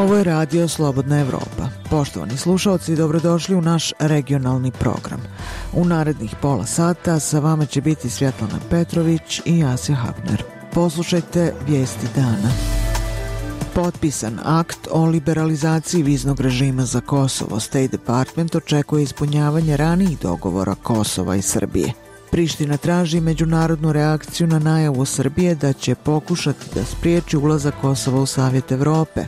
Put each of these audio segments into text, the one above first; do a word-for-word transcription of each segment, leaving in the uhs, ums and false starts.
Ovo je Radio Slobodna Evropa. Poštovani slušalci, dobrodošli u naš regionalni program. U narednih pola sata sa vama će biti Svjetlana Petrović i Asja Hapner. Poslušajte vijesti dana. Potpisan akt o liberalizaciji viznog režima za Kosovo. State Department očekuje ispunjavanje ranijih dogovora Kosova i Srbije. Priština traži međunarodnu reakciju na najavu Srbije da će pokušati da spriječi ulazak Kosova u Savjet Evrope.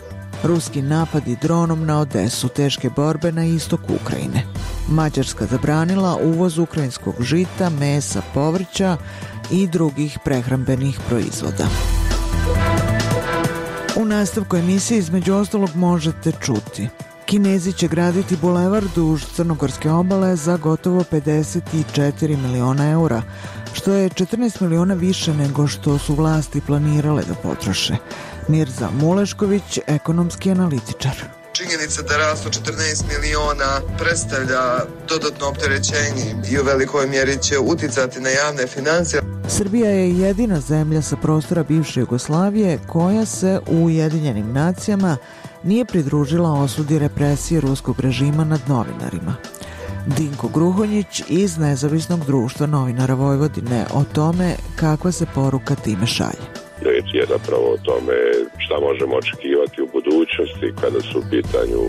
Ruski napadi dronom na Odesu, teške borbe na istoku Ukrajine. Mađarska zabranila uvoz ukrajinskog žita, mesa, povrća i drugih prehrambenih proizvoda. U nastavku emisije između ostalog možete čuti: Kinezi će graditi bulevar duž crnogorske obale za gotovo pedeset četiri miliona eura, što je četrnaest miliona više nego što su vlasti planirale da potroše. Mirza Mulešković, ekonomski analitičar. Činjenica da rast od četrnaest miliona predstavlja dodatno opterećenje i u velikoj mjeri će uticati na javne financije. Srbija je jedina zemlja sa prostora bivše Jugoslavije koja se u Ujedinjenim nacijama nije pridružila osudi represije ruskog režima nad novinarima. Dinko Gruhonjić iz Nezavisnog društva novinara Vojvodine o tome kakva se poruka time šalje. Riječ je zapravo o tome šta možemo očekivati u budućnosti kada su u pitanju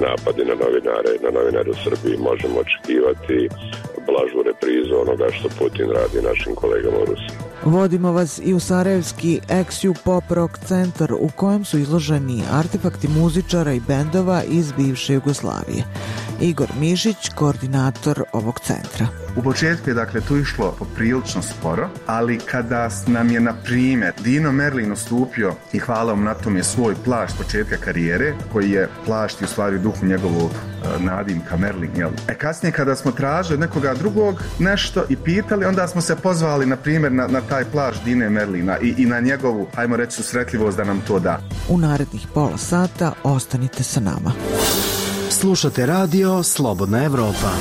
napadi na novinare, na novinare u Srbiji. Možemo očekivati blažu reprizu onoga što Putin radi našim kolegama u Rusiji. Vodimo vas i u sarajevski Ex-Ju Pop Rock centar u kojem su izloženi artefakti muzičara i bendova iz bivše Jugoslavije. Igor Mišić, koordinator ovog centra. U početku je dakle tu išlo poprilično sporo, ali kada nam je na primjer Dino Merlin ustupio i hvala mu na tome svoj plašt početka karijere, koji je plašt i u stvari u duhu njegovog uh, nadimka Merlin, jel? E kasnije kada smo tražili od nekoga drugog nešto i pitali, onda smo se pozvali na primjer na, na taj plašt Dine Merlina i, i na njegovu, hajmo reći, susretljivost da nam to da. U narednih pola sata ostanite sa nama. Slušate Radio Slobodna Evropa.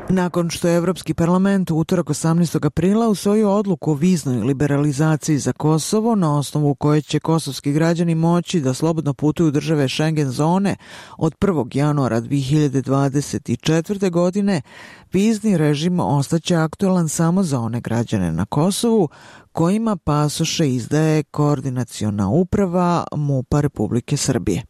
Nakon što je Evropski parlament u utorak osamnaestog aprila usvojio odluku o viznoj liberalizaciji za Kosovo, na osnovu koje će kosovski građani moći da slobodno putuju u države Schengen zone od prvog januara dve hiljade dvadeset četvrte. godine, vizni režim ostaće aktualan samo za one građane na Kosovu kojima pasoše izdaje Koordinaciona uprava MUP-a Republike Srbije.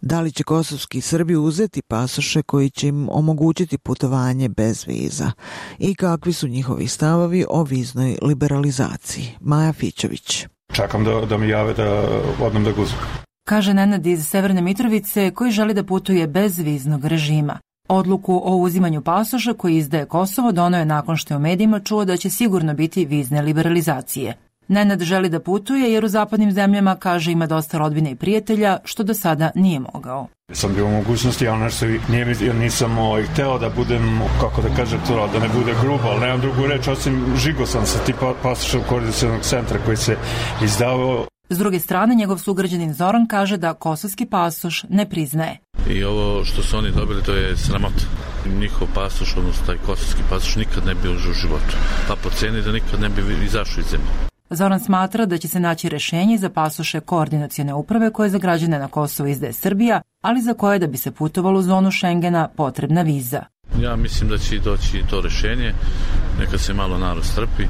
Da li će kosovski Srbi uzeti pasoše koji će im omogućiti putovanje bez viza? I kakvi su njihovi stavovi o viznoj liberalizaciji? Maja Fićović. Čekam da, da mi jave da odem da guzim. Kaže Nenad iz Severne Mitrovice koji želi da putuje bez viznog režima. Odluku o uzimanju pasoša koji izdaje Kosovo doneo je nakon što je u medijima čuo da će sigurno biti vizne liberalizacije. Nenad želi da putuje jer u zapadnim zemljama, kaže, ima dosta rodbine i prijatelja, što do sada nije mogao. Sam bio u mogućnosti, ali nešto nije, jer nisam ovaj, hteo da budem, kako da kažem to, da ne bude grubo, ali nemam drugu reč, osim žigo sam sa tipa pasošom koordinacionog centra koji se izdavao. S druge strane, njegov sugrađanin Zoran kaže da kosovski pasoš ne priznaje. I ovo što su oni dobili, to je sramota. Njihov pasoš, odnosno taj kosovski pasoš, nikad ne bi užio u životu. Pa po cijeni da nikad ne bi izašao iz zemlje. Zoran smatra da će se naći rešenje za pasoše Koordinacione uprave koje za građane na Kosovo izdaje Srbija, ali za koje da bi se putovalo u zonu Schengena potrebna viza. Ja mislim da će doći to rešenje, neka se malo narod strpi,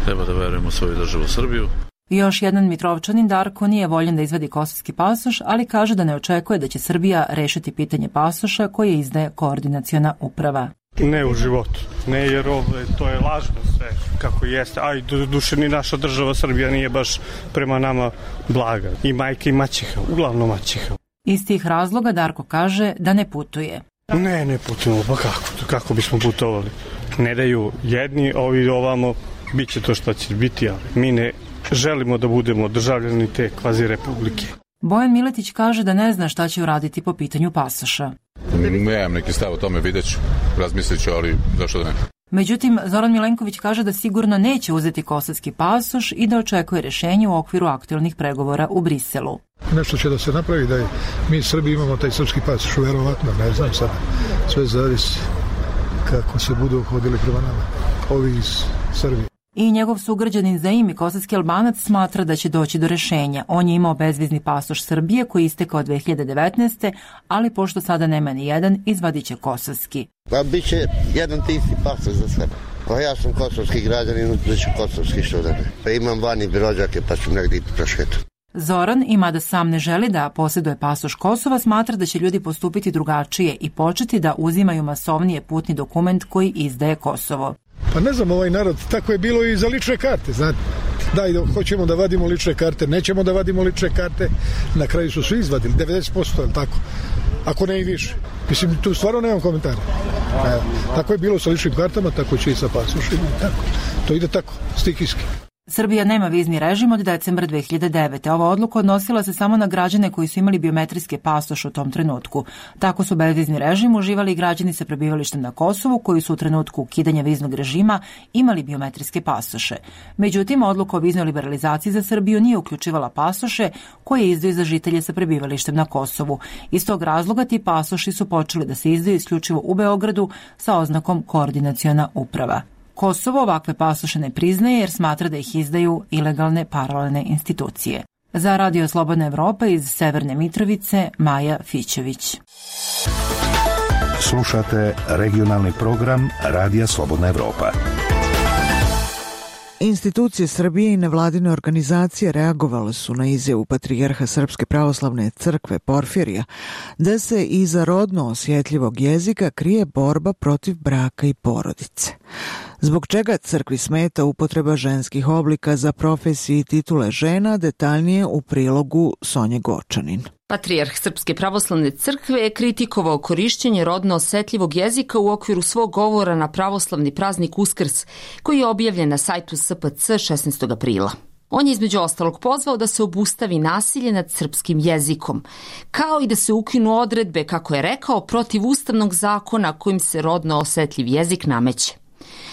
treba da verujemo u svoju državu Srbiju. Još jedan Mitrovčanin Darko nije voljen da izvadi kosovski pasoš, ali kaže da ne očekuje da će Srbija rešiti pitanje pasoša koje izdaje Koordinaciona uprava. Ne u životu, ne jer ovo, to je lažno sve kako jeste, a i do duše ni naša država Srbija nije baš prema nama blaga. I majka i maćeha, uglavnom maćeha. Iz tih razloga Darko kaže da ne putuje. Ne, ne putujemo, pa kako, kako bismo putovali? Ne daju jedni, ovi ovamo, bit će to što će biti, ali mi ne želimo da budemo državljani te kvazi republike. Bojan Miletić kaže da ne zna šta će uraditi po pitanju pasoša. Nemam neki stav o tome, vidjet ću, razmislit ću, ali zašto da ne? Međutim, Zoran Milenković kaže da sigurno neće uzeti kosovski pasoš i da očekuje rešenje u okviru aktualnih pregovora u Briselu. Nešto će da se napravi da mi Srbi imamo taj srpski pasoš, verovatno, ne znam sad, sve zavisi kako se budu hodili prema nama, ovi iz Srbije. I njegov sugrađanin Zaimi, kosovski Albanac, smatra da će doći do rešenja. On je imao bezvizni pasoš Srbije koji je istekao dve hiljade devetnaeste. ali pošto sada nema ni jedan, izvadit će kosovski. Pa bit će jedan ti isti pasoš za sebe. Pa ja sam kosovski građanin, da ću kosovski što da ne. Pa imam vani rođake pa ću negdje prošetu. Zoran, i mada sam ne želi da posjeduje pasoš Kosova, smatra da će ljudi postupiti drugačije i početi da uzimaju masovnije putni dokument koji izdaje Kosovo. Pa ne znam, ovaj narod, tako je bilo i za lične karte, znate. Daj, hoćemo da vadimo lične karte, nećemo da vadimo lične karte, na kraju su svi izvadili, devedeset posto, ali tako, ako ne i više. Mislim, tu stvarno nemam komentara. Evo, tako je bilo sa ličnim kartama, tako će i sa pasošima, tako. To ide tako, stihijski. Srbija nema vizni režim od decembra dve hiljade devete. Ova odluka odnosila se samo na građane koji su imali biometrijske pasoše u tom trenutku. Tako su bezvizni režim uživali i građani sa prebivalištem na Kosovu koji su u trenutku ukidanja viznog režima imali biometrijske pasoše. Međutim, odluka o viznoj liberalizaciji za Srbiju nije uključivala pasoše koje izdaju za žitelje sa prebivalištem na Kosovu. Iz tog razloga ti pasoši su počeli da se izdaju isključivo u Beogradu sa oznakom koordinaciona uprava. Kosovo ovakve pasoše ne priznaje jer smatra da ih izdaju ilegalne paralelne institucije. Za Radio Slobodna Evropa iz Severne Mitrovice, Maja Fićević. Slušate regionalni program Radija Slobodna Evropa. Institucije Srbije i nevladine organizacije reagovale su na izjavu patrijarha Srpske pravoslavne crkve Porfirija da se iza rodno osjetljivog jezika krije borba protiv braka i porodice. Zbog čega crkvi smeta upotreba ženskih oblika za profesije i titule žena, detaljnije u prilogu Sonje Gočanin. Patrijarh Srpske pravoslavne crkve je kritikovao korišćenje rodno osetljivog jezika u okviru svog govora na pravoslavni praznik Uskrs, koji je objavljen na sajtu S P C šesnaestog aprila. On je između ostalog pozvao da se obustavi nasilje nad srpskim jezikom, kao i da se ukinu odredbe, kako je rekao, protiv ustavnog zakona kojim se rodno osetljiv jezik nameće.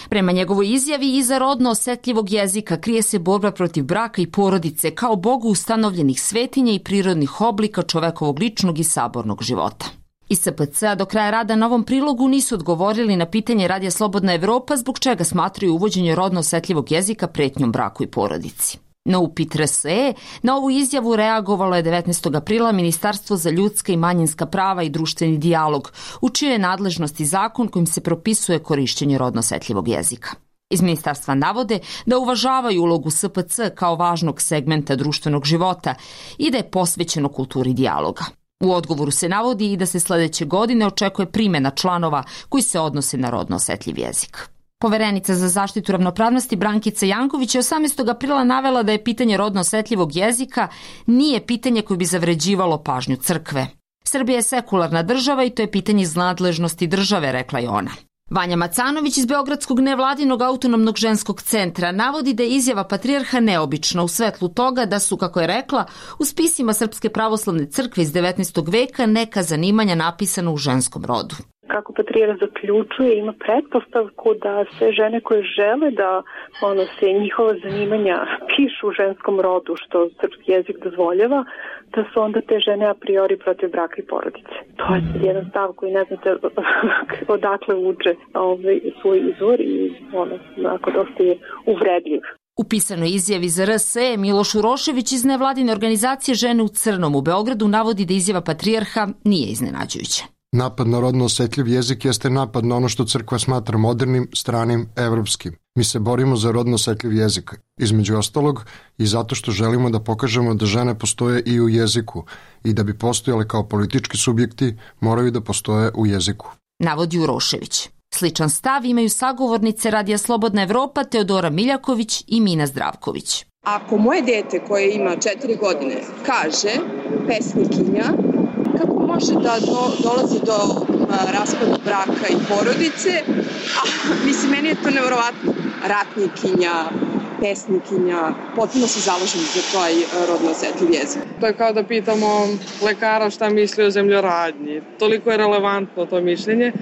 Prema njegovoj izjavi, iza rodno osetljivog jezika krije se borba protiv braka i porodice kao Bogu ustanovljenih svetinja i prirodnih oblika čovekovog ličnog i sabornog života. Iz S P C-a do kraja rada na ovom prilogu nisu odgovorili na pitanje Radija Slobodna Evropa zbog čega smatraju uvođenje rodno osetljivog jezika pretnjom braku i porodici. Na upit R S E, na ovu izjavu reagovalo je devetnaestog aprila Ministarstvo za ljudska i manjinska prava i društveni dijalog, u čijoj je nadležnosti zakon kojim se propisuje korišćenje rodno osetljivog jezika. Iz ministarstva navode da uvažavaju ulogu S P C kao važnog segmenta društvenog života i da je posvećeno kulturi dijaloga. U odgovoru se navodi i da se sledeće godine očekuje primjena članova koji se odnose na rodno osetljiv jezik. Poverenica za zaštitu ravnopravnosti Brankica Janković je osamnaestog aprila navela da je pitanje rodno osetljivog jezika nije pitanje koje bi zavređivalo pažnju crkve. Srbija je sekularna država i to je pitanje iz nadležnosti države, rekla je ona. Vanja Macanović iz Beogradskog nevladinog autonomnog ženskog centra navodi da je izjava patrijarha neobična u svetlu toga da su, kako je rekla, u spisima Srpske pravoslavne crkve iz devetnaestog veka neka zanimanja napisana u ženskom rodu. Kako patrijarh zaključuje, ima pretpostavku da sve žene koje žele da ono, se njihova zanimanja pišu u ženskom rodu, što srpski jezik dozvoljava, da su onda te žene a priori protiv braka i porodice. To je jedan stav koji ne znate odakle uče ovaj, svoj izvor i ono, onako dosta je uvredljiv. U pisanoj izjavi za R S E Miloš Urošević iz nevladine organizacije Žene u crnom u Beogradu navodi da izjava patrijarha nije iznenađujuća. Napad na rodno osetljiv jezik jeste napad na ono što crkva smatra modernim, stranim, evropskim. Mi se borimo za rodno osetljiv jezik, između ostalog i zato što želimo da pokažemo da žene postoje i u jeziku i da bi postojale kao politički subjekti moraju da postoje u jeziku. Navodi Urošević. Sličan stav imaju sagovornice Radija Slobodna Evropa Teodora Miljaković i Mina Zdravković. Ako moje dete koje ima četiri godine kaže pesnikinja, kako može da do, dolazi do a, raspada braka i porodice, a mislim, meni je to nevjerovatno. Ratnikinja, pesnikinja, potpuno se zalažem za taj rodno osetljiv jezik. To je kao da pitamo lekara šta misli o zemljoradnji. Toliko je relevantno to mišljenje.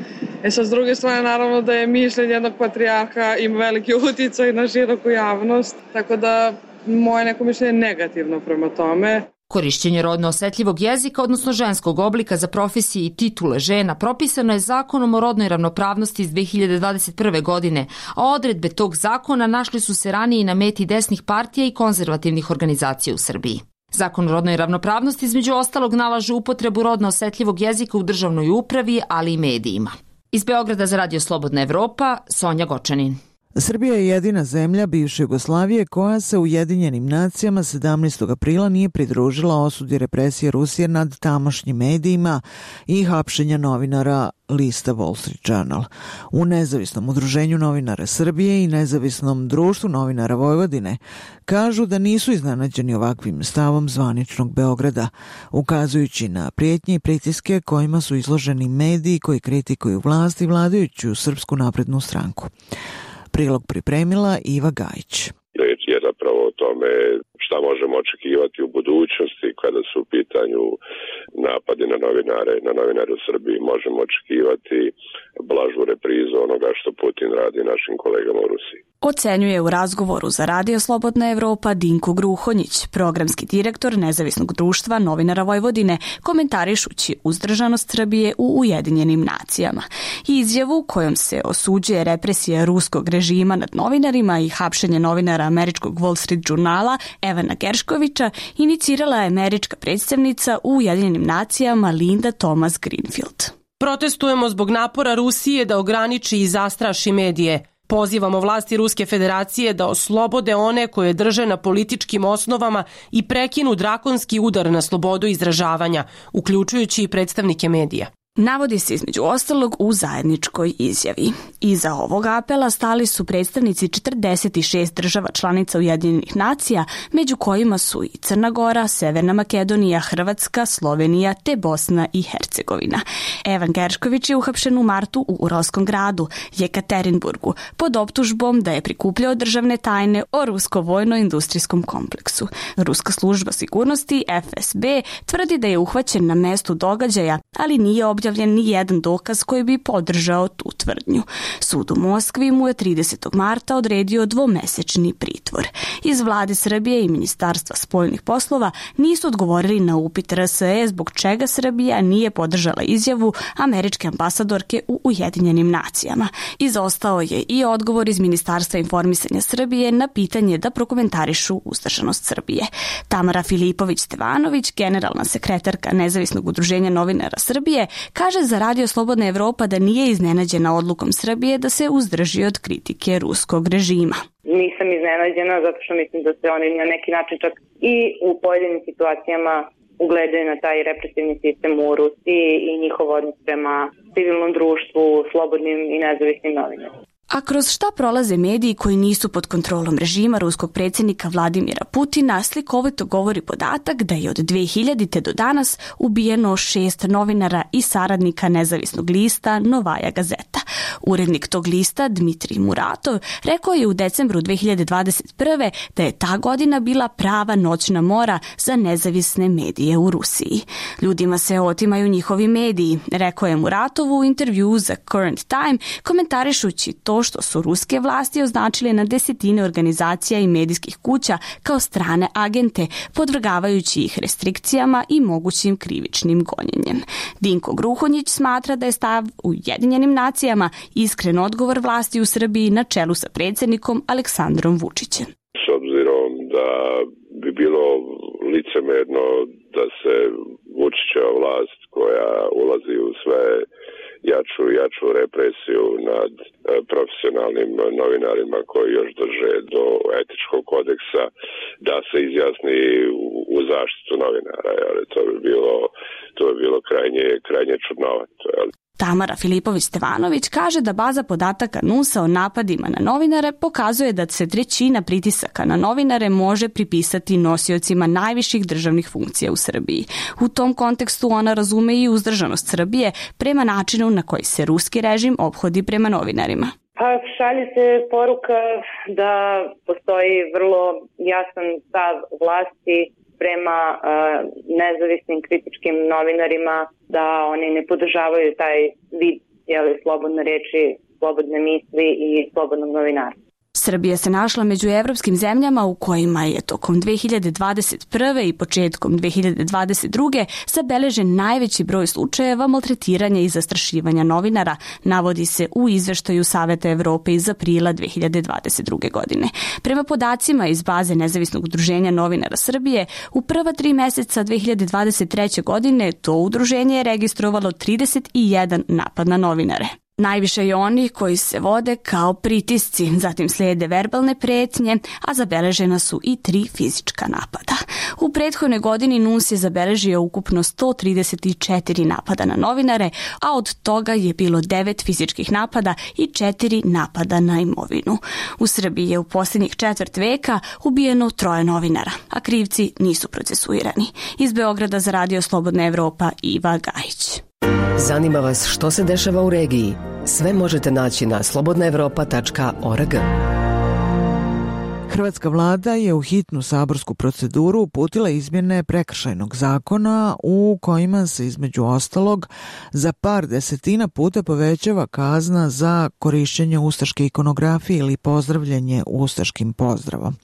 E sad, s druge strane, naravno da je mišljenje jednog patrijarha ima veliki uticaj na široku javnost, tako da moje neko mišljenje je negativno prema tome. Korišćenje rodno osetljivog jezika, odnosno ženskog oblika za profesije i titule žena, propisano je Zakonom o rodnoj ravnopravnosti iz dve hiljade dvadeset prve. godine, a odredbe tog zakona našli su se ranije na meti desnih partija i konzervativnih organizacija u Srbiji. Zakon o rodnoj ravnopravnosti između ostalog nalaže upotrebu rodno osetljivog jezika u državnoj upravi, ali i medijima. Iz Beograda za Radio Slobodna Evropa, Sonja Gočanin. Srbija je jedina zemlja bivše Jugoslavije koja se Ujedinjenim nacijama sedamnaestog aprila nije pridružila osudi represije Rusije nad tamošnjim medijima i hapšenja novinara lista Wall Street Journal. U Nezavisnom udruženju novinara Srbije i Nezavisnom društvu novinara Vojvodine kažu da nisu iznenađeni ovakvim stavom zvaničnog Beograda, ukazujući na prijetnje i pritiske kojima su izloženi mediji koji kritikuju vlast i vladajuću Srpsku naprednu stranku. Prilog pripremila Iva Gajić. Reč je zapravo o tome šta možemo očekivati u budućnosti kada su u pitanju napadi na novinare, na novinare u Srbiji. Možemo očekivati blažu reprizu onoga što Putin radi našim kolegama u Rusiji. Ocenjuje u razgovoru za Radio Slobodna Evropa Dinko Gruhonjić, programski direktor Nezavisnog društva novinara Vojvodine, komentarišući uzdržanost Srbije u Ujedinjenim nacijama. Izjavu kojom se osuđuje represija ruskog režima nad novinarima i hapšenje novinara američkog Wall Street Journala Evana Gerškovića inicirala je američka predstavnica u Ujedinjenim nacijama Linda Thomas Greenfield. Protestujemo zbog napora Rusije da ograniči i zastraši medije. Pozivamo vlasti Ruske federacije da oslobode one koje drže na političkim osnovama i prekinu drakonski udar na slobodu izražavanja, uključujući i predstavnike medija. Navodi se između ostalog u zajedničkoj izjavi. Iza ovog apela stali su predstavnici četrdeset šest država članica Ujedinjenih nacija, među kojima su i Crna Gora, Severna Makedonija, Hrvatska, Slovenija te Bosna i Hercegovina. Evan Geršković je uhapšen u martu u Uralskom gradu, Jekaterinburgu, pod optužbom da je prikupljao državne tajne o rusko-vojno-industrijskom kompleksu. Ruska služba sigurnosti F S B tvrdi da je uhvaćen na mestu događaja, ali nije objavljen ni jedan dokaz koji bi podržao tu tvrdnju. Sud u Moskvi mu je tridesetog marta odredio dvomesečni pritvor. Iz vlade Srbije i Ministarstva spoljnih poslova nisu odgovorili na upit R S E zbog čega Srbija nije podržala izjavu američke ambasadorke u Ujedinjenim nacijama. Izostao je i odgovor iz Ministarstva informisanja Srbije na pitanje da prokomentarišu uzdržanost Srbije. Tamara Filipović-Stevanović, generalna sekretarka Nezavisnog udruženja novinara Srbije, kaže za Radio Slobodna Evropa da nije iznenađena odlukom Srbije da se uzdrži od kritike ruskog režima. Nisam iznenađena zato što mislim da se oni na neki način čak i u pojedinim situacijama ugledaju na taj represivni sistem u Rusiji i njihov odnos prema civilnom društvu, slobodnim i nezavisnim novinarima. A kroz šta prolaze mediji koji nisu pod kontrolom režima ruskog predsjednika Vladimira Putina, slikovito govori podatak da je od dve hiljadite. do danas ubijeno šest novinara i saradnika nezavisnog lista Novaja Gazeta. Urednik tog lista, Dmitrij Muratov, rekao je u decembru dve hiljade dvadeset prve. da je ta godina bila prava noćna mora za nezavisne medije u Rusiji. Ljudima se otimaju njihovi mediji, rekao je Muratov u intervju za Current Time, komentarišući to što su ruske vlasti označile na desetine organizacija i medijskih kuća kao strane agente, podvrgavajući ih restrikcijama i mogućim krivičnim gonjenjem. Dinko Gruhonjić smatra da je stav u Ujedinjenim nacijama iskren odgovor vlasti u Srbiji na čelu sa predsjednikom Aleksandrom Vučićem. S obzirom da bi bilo licemerno da se Vučićeva vlast koja ulazi u sve jaču i jaču represiju nad profesionalnim novinarima koji još drže do etičkog kodeksa, da se izjasni u zaštitu novinara. Ali to bi bilo, to bi bilo krajnje, krajnje čudnovato. Tamara Filipović-Stevanović kaže da baza podataka N U S-a o napadima na novinare pokazuje da se trećina pritisaka na novinare može pripisati nosiocima najviših državnih funkcija u Srbiji. U tom kontekstu ona razume i uzdržanost Srbije prema načinu na koji se ruski režim ophodi prema novinarima. Pa šalje se poruka da postoji vrlo jasan stav vlasti prema uh, nezavisnim kritičkim novinarima, da oni ne podržavaju taj vid jeli, slobodne reči, slobodne misli i slobodnog novinarstva. Srbija se našla među evropskim zemljama u kojima je tokom dve hiljade dvadeset prve i početkom dve hiljade dvadeset druge zabeležen najveći broj slučajeva maltretiranja i zastrašivanja novinara, navodi se u izveštaju Saveta Evrope iz aprila dve hiljade dvadeset druge. godine. Prema podacima iz baze Nezavisnog udruženja novinara Srbije, u prva tri meseca dve hiljade dvadeset treće. godine to udruženje je registrovalo trideset jedan napad na novinare. Najviše je oni koji se vode kao pritisci, zatim slijede verbalne pretnje, a zabeležena su i tri fizička napada. U prethodnoj godini N U S je zabeležio ukupno sto trideset četiri napada na novinare, a od toga je bilo devet fizičkih napada i četiri napada na imovinu. U Srbiji je u posljednjih četvrt veka ubijeno troje novinara, a krivci nisu procesuirani. Iz Beograda za Radio Slobodna Evropa, Iva Gajić. Zanima vas što se dešava u regiji? Sve možete naći na slobodna evropa tačka org. Hrvatska vlada je u hitnu saborsku proceduru uputila izmjene prekršajnog zakona u kojima se između ostalog za par desetina puta povećava kazna za korišćenje ustaške ikonografije ili pozdravljanje ustaškim pozdravom.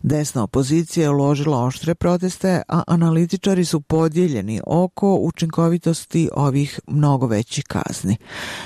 Desna opozicija je uložila oštre proteste, a analitičari su podijeljeni oko učinkovitosti ovih mnogo većih kazni.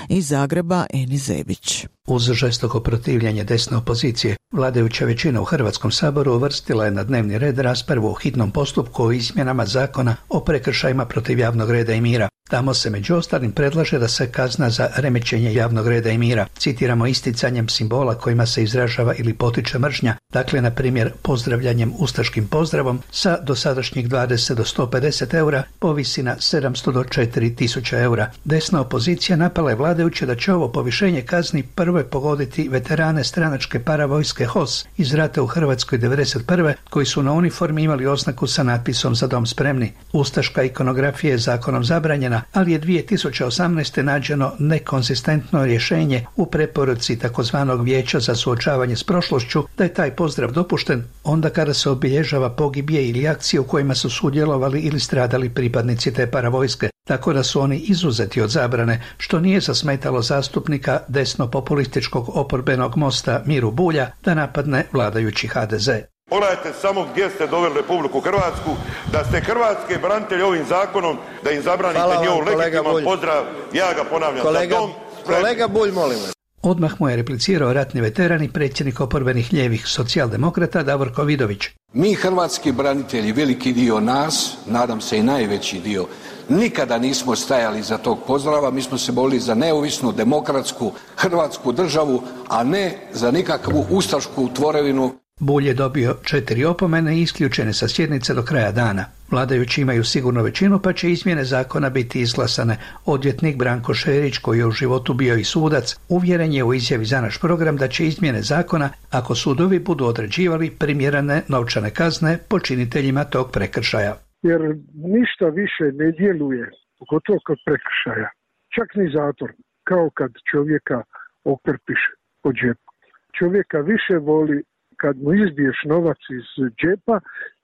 Iz Zagreba, Enis Zebić. Uz žestoko protivljenje desne opozicije, vladajuća većina u Hrvatskom saboru uvrstila je na dnevni red raspravu o hitnom postupku o izmjenama zakona o prekršajima protiv javnog reda i mira. Tamo se među ostalim predlaže da se kazna za remećenje javnog reda i mira, citiramo, isticanjem simbola kojima se izražava ili potiče mržnja, dakle na primjer pozdravljanjem ustaškim pozdravom, sa dosadašnjih dvadeset do sto pedeset eura povisi na sedamsto do četiri tisuće eura. Desna opozicija napala je vladajuće da će ovo povišenje kazni prvo pogoditi veterane stranačke paravojske H O S iz rata u Hrvatskoj devedeset prve koji su na uniformi imali oznaku sa natpisom Za dom spremni. Ustaška ikonografija je zakonom zabranjena, ali je dvije tisuće osamnaeste. nađeno nekonzistentno rješenje u preporuci takozvanog Vijeća za suočavanje s prošlošću da je taj pozdrav dopušten onda kada se obilježava pogibije ili akcije u kojima su sudjelovali ili stradali pripadnici te paravojske, tako da su oni izuzeti od zabrane, što nije zasmetalo zastupnika desno-populističkog oporbenog Mosta Miru Bulja da napadne vladajući H D Z. Pogledajte samo gdje ste doveli Republiku Hrvatsku, da ste hrvatske branitelji ovim zakonom, da im zabranite njihov legitiman pozdrav, ja ga ponavljam, kolega, za dom spremni. Kolega Bulj, molim vas. Odmah mu je replicirao ratni veteran i predsjednik oporbenih lijevih socijaldemokrata Davorko Vidović. Mi hrvatski branitelji, veliki dio nas, nadam se i najveći dio, nikada nismo stajali za tog pozdrava, mi smo se borili za neovisnu, demokratsku hrvatsku državu, a ne za nikakvu ustašku tvorevinu. Bulj je dobio četiri opomene i isključene sa sjednice do kraja dana. Vladajući imaju sigurno većinu, pa će izmjene zakona biti izglasane. Odvjetnik Branko Šerić, koji je u životu bio i sudac, uvjeren je u izjavi za naš program da će izmjene zakona, ako sudovi budu određivali primjerene novčane kazne počiniteljima tog prekršaja. Jer ništa više ne djeluje, pogotovo kod prekršaja, čak ni zatvor, kao kad čovjeka okrpiš po džepu. Čovjeka više voli kad mu izbiješ novac iz džepa,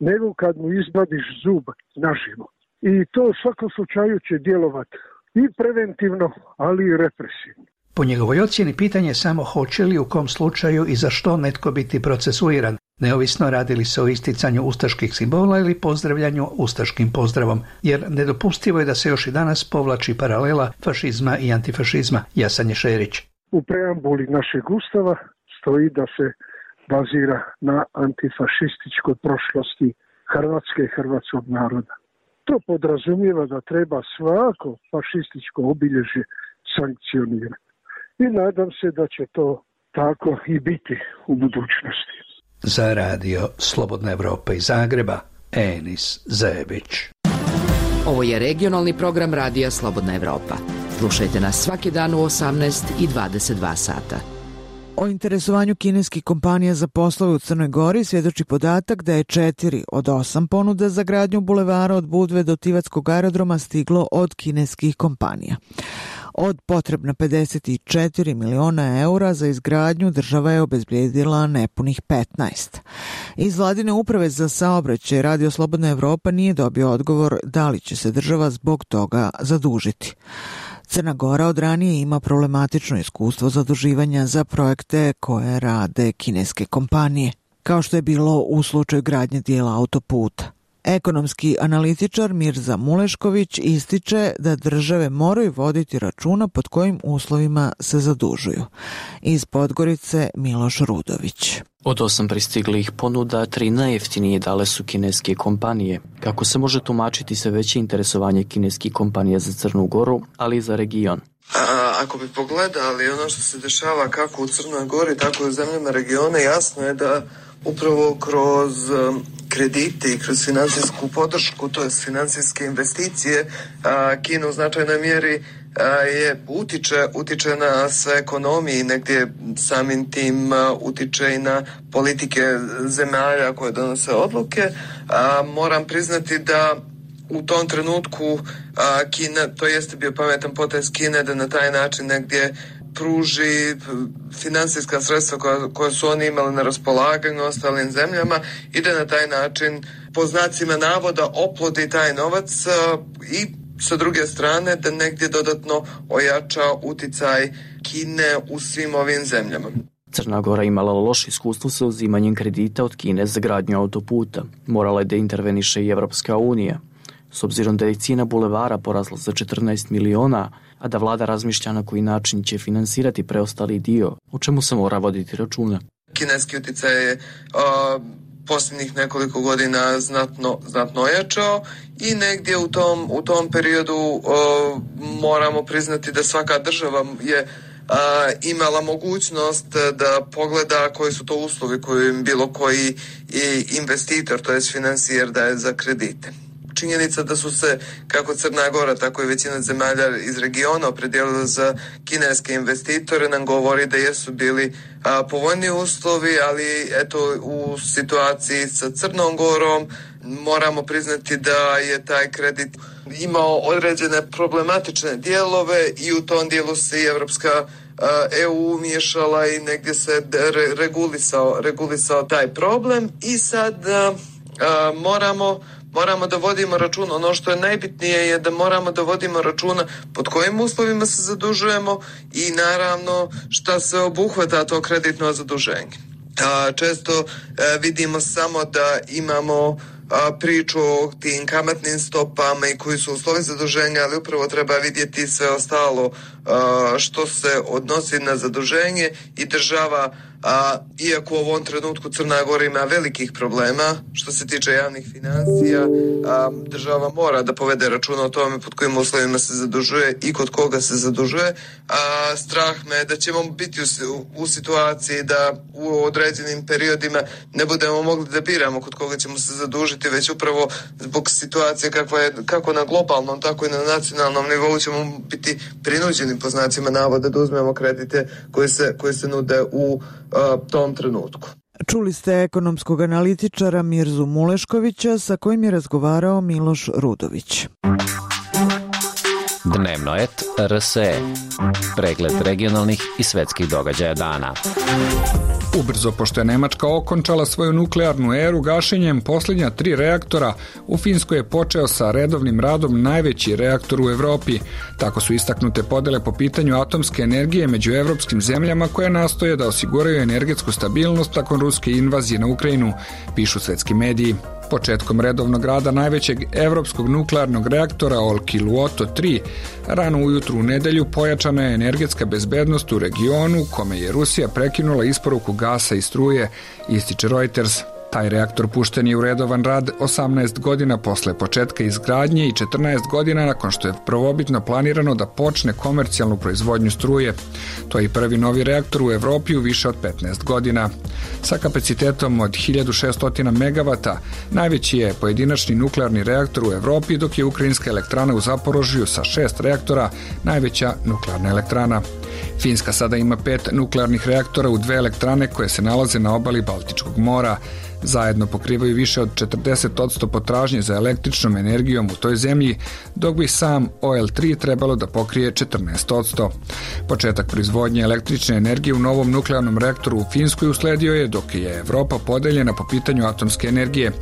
nego kad mu izvadiš zub naživo. I to u svakom slučaju će djelovati i preventivno, ali i represivno. Po njegovoj ocjeni pitanje je samo hoće li u kom slučaju i za što netko biti procesuiran, neovisno radili se o isticanju ustaških simbola ili pozdravljanju ustaškim pozdravom, jer nedopustivo je da se još i danas povlači paralela fašizma i antifašizma. Jasan je Šerić. U preambuli našeg ustava stoji da se bazira na antifašističkoj prošlosti Hrvatske i hrvatskog naroda. To podrazumijeva da treba svako fašističko obilježje sankcionirati. I nadam se da će to tako i biti u budućnosti. Za Radio Slobodna Evropa iz Zagreba, Enis Zebić. Ovo je regionalni program Radija Slobodna Evropa. Slušajte nas svaki dan u osamnaest i dvadeset dva sata. O interesovanju kineskih kompanija za poslove u Crnoj Gori svjedoči podatak da je četiri od osam ponuda za gradnju bulevara od Budve do Tivatskog aerodroma stiglo od kineskih kompanija. Od potrebna pedeset četiri miliona eura za izgradnju država je obezbijedila nepunih petnaest. Iz vladine uprave za saobraćaj Radio Slobodna Evropa nije dobio odgovor da li će se država zbog toga zadužiti. Crna Gora od ranije ima problematično iskustvo zaduživanja za projekte koje rade kineske kompanije, kao što je bilo u slučaju gradnje dijela autoputa. Ekonomski analitičar Mirza Mulešković ističe da države moraju voditi računa pod kojim uslovima se zadužuju. Iz Podgorice Miloš Rudović. Od osam pristiglih ponuda, tri najjeftinije dale su kineske kompanije. Kako se može tumačiti sve veće interesovanje kineskih kompanija za Crnu Goru, ali i za region? A, ako bi pogledali ono što se dešava kako u Crnoj Gori, tako i u zemljama regiona, jasno je da upravo kroz um, kredite i kroz financijsku podršku, to je financijske investicije, a, Kina u značajnoj mjeri a, je utiče, utiče na sve ekonomije i negdje samim tim a, utiče i na politike zemalja koje donose odluke. A, moram priznati da u tom trenutku a, Kina, to jeste bio pametan potez Kine da na taj način negdje pruži financijska sredstva koja, koja su oni imali na raspolaganju ostalim zemljama i da na taj način po znacima navoda oplodi taj novac a, i sa druge strane da negdje dodatno ojača uticaj Kine u svim ovim zemljama. Crna Gora imala loše iskustvo sa uzimanjem kredita od Kine za gradnju autoputa. Morala je da interveniše i Evropska unija. S obzirom da je cijena bulevara porasla za četrnaest miliona, a da vlada razmišlja na koji način će finansirati preostali dio, o čemu se mora voditi računa. Kineski utjecaj je uh, posljednjih nekoliko godina znatno, znatno ojačao i negdje u tom, u tom periodu uh, moramo priznati da svaka država je uh, imala mogućnost da pogleda koji su to uslovi koji im bilo koji investitor, to jest financijer daje za kredite. Činjenica da su se kako Crna Gora, tako i većina zemalja iz regiona opredijelila za kineske investitore nam govori da jesu bili a, povoljni uslovi, ali eto u situaciji sa Crnom Gorom moramo priznati da je taj kredit imao određene problematične dijelove i u tom dijelu se i Evropska E U umiješala i negdje se re, regulisao, regulisao taj problem i sad a, a, moramo Moramo da vodimo računa, ono što je najbitnije je da moramo da vodimo računa pod kojim uslovima se zadužujemo i naravno šta se obuhvata to kreditno zaduženje. Često vidimo samo da imamo priču o tim kamatnim stopama i koji su uslovi zaduženja, ali upravo treba vidjeti sve ostalo što se odnosi na zaduženje i država, a, iako u ovom trenutku Crna Gora ima velikih problema što se tiče javnih financija, a, država mora da povede računa o tome pod kojim uslovima se zadužuje i kod koga se zadužuje. A, strah me da ćemo biti u, u situaciji da u određenim periodima ne budemo mogli da biramo kod koga ćemo se zadužiti, već upravo zbog situacije kakva je, kako na globalnom, tako i na nacionalnom nivou ćemo biti prinuđeni po znacima navoda da uzmemo kredite koji se, koji se nude u a, tom trenutku. Čuli ste ekonomskog analitičara Mirzu Muleškovića sa kojim je razgovarao Miloš Rudović. Dnevno et R S E. Pregled regionalnih i svetskih događaja dana. Ubrzo, pošto je Nemačka okončala svoju nuklearnu eru gašenjem posljednja tri reaktora, u Finskoj je počeo sa redovnim radom najveći reaktor u Evropi. Tako su istaknute podele po pitanju atomske energije među evropskim zemljama koje nastoje da osiguraju energetsku stabilnost nakon ruske invazije na Ukrajinu, pišu svetski mediji. Početkom redovnog rada najvećeg evropskog nuklearnog reaktora Olkiluoto tri, rano ujutru u nedelju pojačana je energetska bezbednost u regionu kome je Rusija prekinula isporuku gasa i struje, ističe Reuters. Taj reaktor pušten je u redovan rad osamnaest godina posle početka izgradnje i četrnaest godina nakon što je prvobitno planirano da počne komercijalnu proizvodnju struje. To je i prvi novi reaktor u Evropi u više od petnaest godina. Sa kapacitetom od hiljadu šessto megavata, najveći je pojedinačni nuklearni reaktor u Evropi, dok je ukrajinska elektrana u Zaporožju sa šest reaktora najveća nuklearna elektrana. Finska sada ima pet nuklearnih reaktora u dve elektrane koje se nalaze na obali Baltičkog mora. Zajedno pokrivaju više od četrdeset posto potražnje za električnom energijom u toj zemlji, dok bi sam O L tri trebalo da pokrije četrnaest posto. Početak proizvodnje električne energije u novom nuklearnom reaktoru u Finskoj usledio je dok je Evropa podeljena po pitanju atomske energije.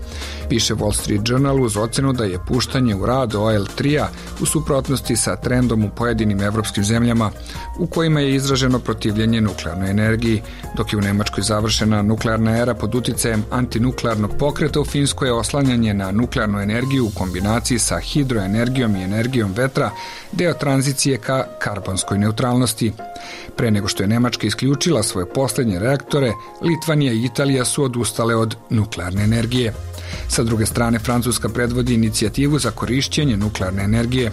Piše Wall Street Journal uz ocenu da je puštanje u rad O L tri-a u suprotnosti sa trendom u pojedinim evropskim zemljama u kojima je izraženo protivljenje nuklearnoj energiji, dok je u Nemačkoj završena nuklearna era pod uticajem antinuklearnog pokreta, u Finskoj je oslanjanje na nuklearnu energiju u kombinaciji sa hidroenergijom i energijom vetra deo tranzicije ka karbonskoj neutralnosti. Pre nego što je Nemačka isključila svoje posljednje reaktore, Litvanija i Italija su odustale od nuklearne energije. Sa druge strane, Francuska predvodi inicijativu za korišćenje nuklearne energije.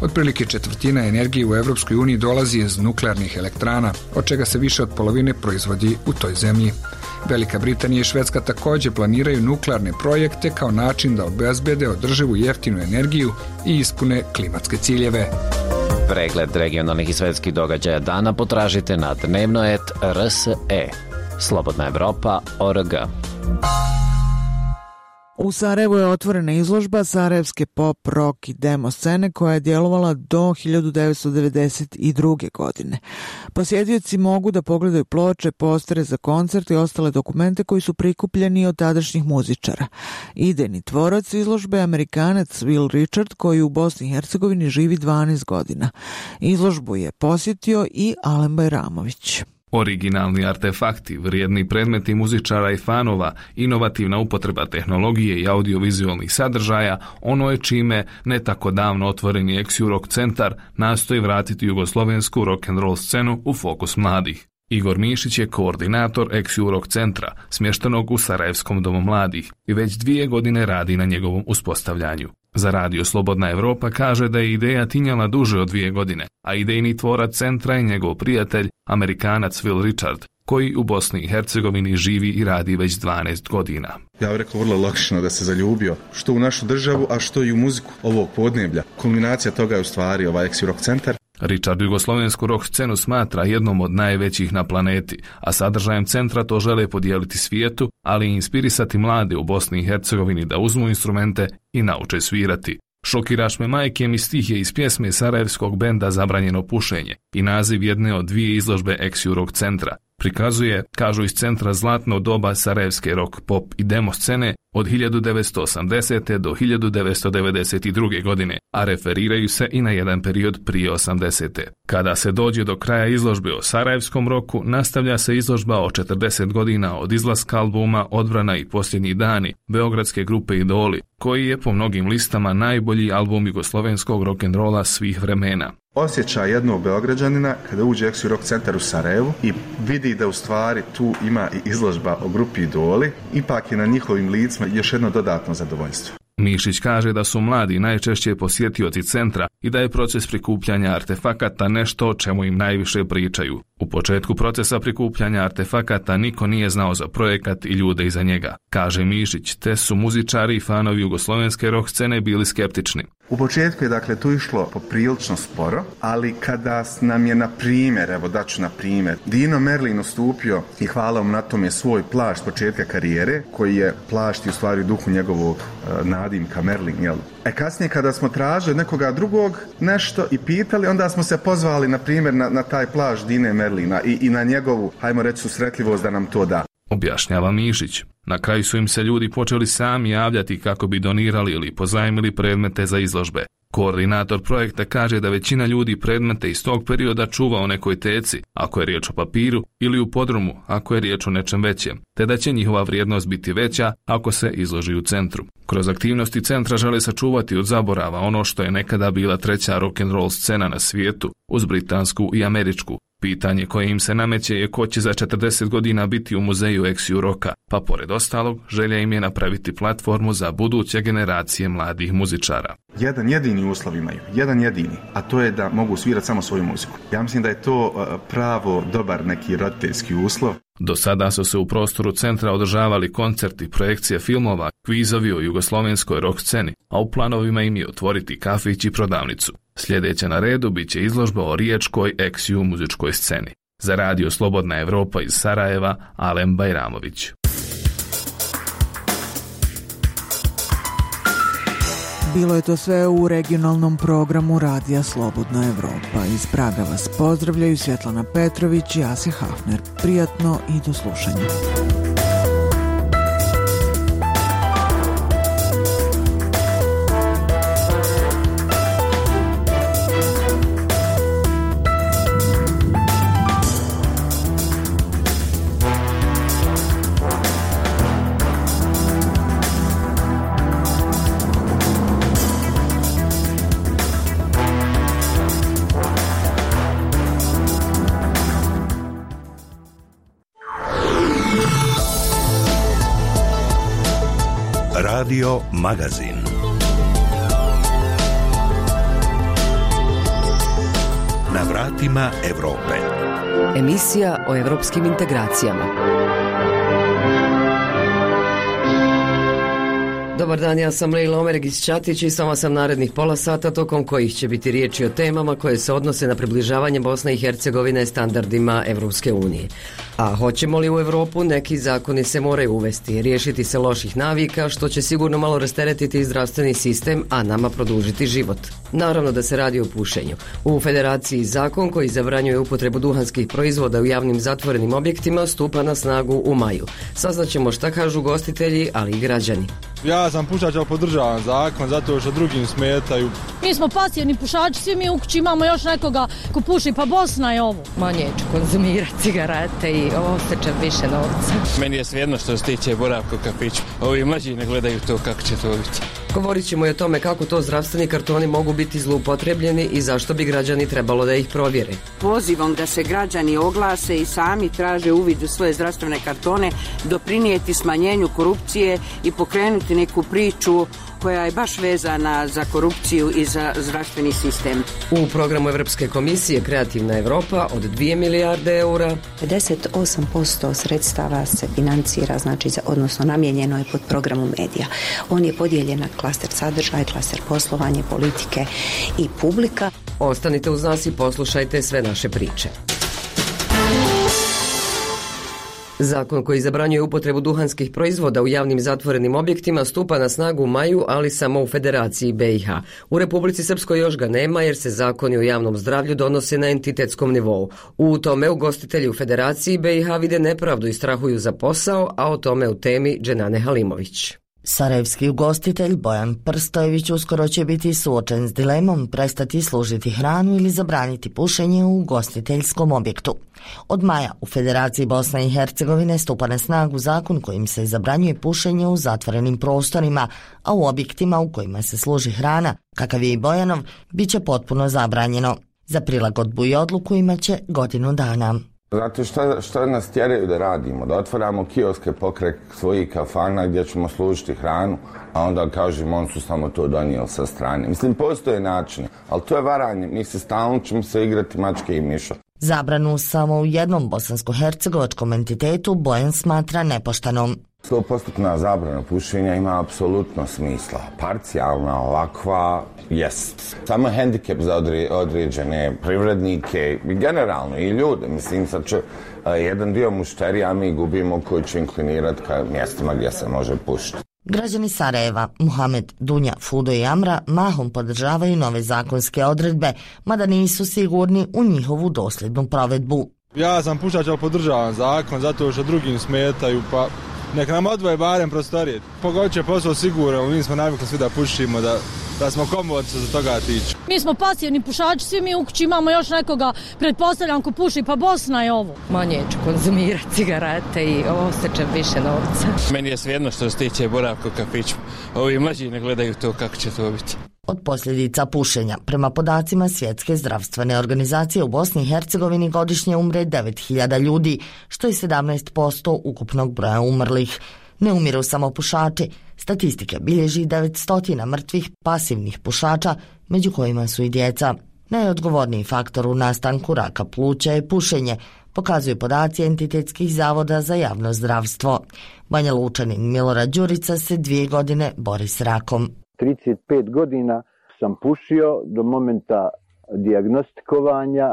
Otprilike četvrtina energije u Evropskoj uniji dolazi iz nuklearnih elektrana, od čega se više od polovine proizvodi u toj zemlji. Velika Britanija i Švedska također planiraju nuklearne projekte kao način da obezbede održivu jeftinu energiju i ispune klimatske ciljeve. Pregled regionalnih i svetskih događaja dana potražite na dnevnoet R S E. Slobodna Evropa точка о р г. U Sarajevu je otvorena izložba sarajevske pop, rock i demo scene koja je djelovala do hiljadu devetsto devedeset druge. godine. Posjetioci mogu da pogledaju ploče, postere za koncert i ostale dokumente koji su prikupljeni od tadašnjih muzičara. Idejni tvorac izložbe je Amerikanac Will Richard koji u Bosni i Hercegovini živi dvanaest godina. Izložbu je posjetio i Alen Bajramović. Originalni artefakti, vrijedni predmeti muzičara i fanova, inovativna upotreba tehnologije i audiovizualnih sadržaja, ono je čime ne tako davno otvoreni Ex-Rock centar nastoji vratiti jugoslovensku rock'n'roll scenu u fokus mladih. Igor Mišić je koordinator Ex-Rock centra, smještenog u Sarajevskom domu mladih, i već dvije godine radi na njegovom uspostavljanju. Za radio Slobodna Evropa kaže da je ideja tinjala duže od dvije godine, a idejni tvorac centra je njegov prijatelj, Amerikanac Will Richard, koji u Bosni i Hercegovini živi i radi već dvanaest godina. Ja bih rekao vrlo logično da se zaljubio, što u našu državu, a što i u muziku ovog podneblja. Kulminacija toga je u stvari ovaj Ex-Rock centar. Richard jugoslovensku rock scenu smatra jednom od najvećih na planeti, a sadržajem centra to žele podijeliti svijetu, ali i inspirisati mlade u Bosni i Hercegovini da uzmu instrumente i nauče svirati. Šokiraš me majke mi stih je iz pjesme sarajevskog benda Zabranjeno pušenje i naziv jedne od dvije izložbe Ex-Rock centra. Prikazuje, kažu iz centra, zlatno doba sarajevske rock, pop i demo scene od hiljadu devetsto osamdesete. do hiljadu devetsto devedeset druge. godine, a referiraju se i na jedan period prije osamdesete. Kada se dođe do kraja izložbe o sarajevskom roku, nastavlja se izložba o četrdeset godina od izlaska albuma Odbrana i posljednji dani beogradske grupe Idoli, koji je po mnogim listama najbolji album jugoslovenskog rock'n'rolla svih vremena. Osjećaj jednog Beograđanina kada uđe Ex-Rock centar u Sarajevu i vidi da u stvari tu ima i izložba o grupi Idoli, ipak je na njihovim licima još jedno dodatno zadovoljstvo. Mišić kaže da su mladi najčešće posjetioci centra i da je proces prikupljanja artefakata nešto o čemu im najviše pričaju. U početku procesa prikupljanja artefakata niko nije znao za projekat i ljude iza njega, kaže Mišić, te su muzičari i fanovi jugoslovenske rock scene bili skeptični. U početku je dakle tu išlo poprilično sporo, ali kada nam je na primjer, evo daću na primjer, Dino Merlin ustupio i hvala mu na tome svoj plašt početka karijere, koji je plašt i u stvari duhu njegovog uh, nadimka Merlin, jel? E kasnije kada smo tražili nekoga drugog nešto i pitali, onda smo se pozvali na primjer na, na taj plašt Dine Merlina i, i na njegovu, hajmo reći, susretljivost da nam to da. Objašnjava Mišić. Na kraju su im se ljudi počeli sami javljati kako bi donirali ili pozajmili predmete za izložbe. Koordinator projekta kaže da većina ljudi predmete iz tog perioda čuva u nekoj teci, ako je riječ o papiru, ili u podrumu, ako je riječ o nečem većem, te da će njihova vrijednost biti veća ako se izloži u centru. Kroz aktivnosti centra žele sačuvati od zaborava ono što je nekada bila treća rock'n'roll scena na svijetu, uz britansku i američku. Pitanje koje im se nameće je ko će za četrdeset godina biti u muzeju Ex-Rocka, pa pored ostalog želja im je napraviti platformu za buduće generacije mladih muzičara. Jedan jedini uslov imaju, jedan jedini, a to je da mogu svirati samo svoju muziku. Ja mislim da je to pravo dobar neki roditeljski uslov. Do sada su se u prostoru centra održavali koncerti, projekcije filmova, kvizovi o jugoslovenskoj rock sceni, a u planovima im je otvoriti kafić i prodavnicu. Sljedeća na redu bit će izložba o riječkoj ex-ju muzičkoj sceni. Za radio Slobodna Evropa iz Sarajeva, Alen Bajramović. Bilo je to sve u regionalnom programu Radija Slobodna Evropa. Iz Praga vas pozdravljaju Svjetlana Petrović i Asja Hafner. Prijatno i do slušanja. Radio Magazin. Na vratima Evrope. Emisija o evropskim integracijama. Dobar dan, ja sam Lejla Omeregić-Ćatić i samo sam narednih pola sata tokom kojih će biti riječi o temama koje se odnose na približavanje Bosne i Hercegovine standardima Evropske unije. A hoćemo li u Evropu, neki zakoni se moraju uvesti, riješiti se loših navika, što će sigurno malo rasteretiti zdravstveni sistem, a nama produžiti život. Naravno da se radi o pušenju. U Federaciji zakon koji zabranjuje upotrebu duhanskih proizvoda u javnim zatvorenim objektima stupa na snagu u maju. Saznaćemo šta kažu gostitelji, ali i građani. Ja sam pušač, ali podržavam zakon zato što drugim smetaju. Mi smo pasivni pušači, svi mi u kući imamo još nekoga ko puši, pa Bosna je ovo. Manje ću konzumirati cigarete i osjećam više novca. Meni je svejedno što se tiče boravka u kafiću. Ovi mlađi ne gledaju to kako će to biti. Govorit ćemo i o tome kako to zdravstveni kartoni mogu biti zloupotrebljeni i zašto bi građani trebalo da ih provjere. Pozivom da se građani oglase i sami traže uvid u svoje zdravstvene kartone, doprinijeti smanjenju korupcije i pokrenuti neku priču koja je baš vezana za korupciju i za zdravstveni sistem. U programu Evropske komisije Kreativna Evropa od dvije milijarde eura pedeset osam posto sredstava se financira, znači, odnosno namijenjeno je pod programom medija. On je podijeljen na klaster sadržaj, klaster poslovanje, politike i publika. Ostanite uz nas i poslušajte sve naše priče. Zakon koji zabranjuje upotrebu duhanskih proizvoda u javnim zatvorenim objektima stupa na snagu u maju, ali samo u Federaciji B i H. U Republici Srpskoj još ga nema jer se zakoni o javnom zdravlju donose na entitetskom nivou. U tome ugostitelji u Federaciji B i H vide nepravdu i strahuju za posao, a o tome u temi Dženane Halimović. Sarajevski ugostitelj Bojan Prstojević uskoro će biti suočen s dilemom prestati služiti hranu ili zabraniti pušenje u ugostiteljskom objektu. Od maja u Federaciji Bosne i Hercegovine stupa na snagu zakon kojim se zabranjuje pušenje u zatvorenim prostorima, a u objektima u kojima se služi hrana, kakav je i Bojanov, bit će potpuno zabranjeno. Za prilagodbu i odluku imaće godinu dana. Znate šta, šta nas tjeraju da radimo? Da otvaramo kioske pokraj svojih kafana gdje ćemo služiti hranu, a onda kažemo on su samo to donijeli sa strane. Mislim, postoje načine, ali to je varanje. Mi se stalno ćemo se igrati mačke i miša. Zabranu samo u jednom bosansko-hercegovačkom entitetu Bojan smatra nepoštenom. sto posto zabrana pušenja ima apsolutno smisla. Parcijalna, ovakva, jest. Samo hendikep za određene privrednike i generalno i ljude. Mislim, sad će uh, jedan dio mušterija mi gubimo koji će inklinirati ka mjestima gdje se može pušiti. Građani Sarajeva, Muhamed, Dunja, Fudo i Amra mahom podržavaju nove zakonske odredbe, mada nisu sigurni u njihovu dosljednu provedbu. Ja sam pušač, ali podržavam zakon zato što drugim smetaju, pa nek nam odvoje barem prostorije. Pogodit će posao sigurno, mi smo navikli svi da pušimo, da, da smo komodni što se toga tiče. Mi smo pasivni pušači, svi mi u kući imamo još nekoga, pretpostavljam, ko puši, pa Bosna je ovo. Manje ću konzumirati cigarete i osjećam više novca. Meni je svejedno što se tiče boravka u kafiću. Ovi mlađi ne gledaju to kako će to biti. Od posljedica pušenja, prema podacima Svjetske zdravstvene organizacije, u Bosni i Hercegovini godišnje umre devet hiljada ljudi, što je sedamnaest posto ukupnog broja umrlih. Ne umiru samo pušači. Statistike bilježi devetsto mrtvih pasivnih pušača, među kojima su i djeca. Najodgovorniji faktor u nastanku raka pluća je pušenje, pokazuju podaci entitetskih zavoda za javno zdravstvo. Banja Lučanin Milorad Đurica se dvije godine bori s rakom. trideset pet godina sam pušio do momenta dijagnostikovanja.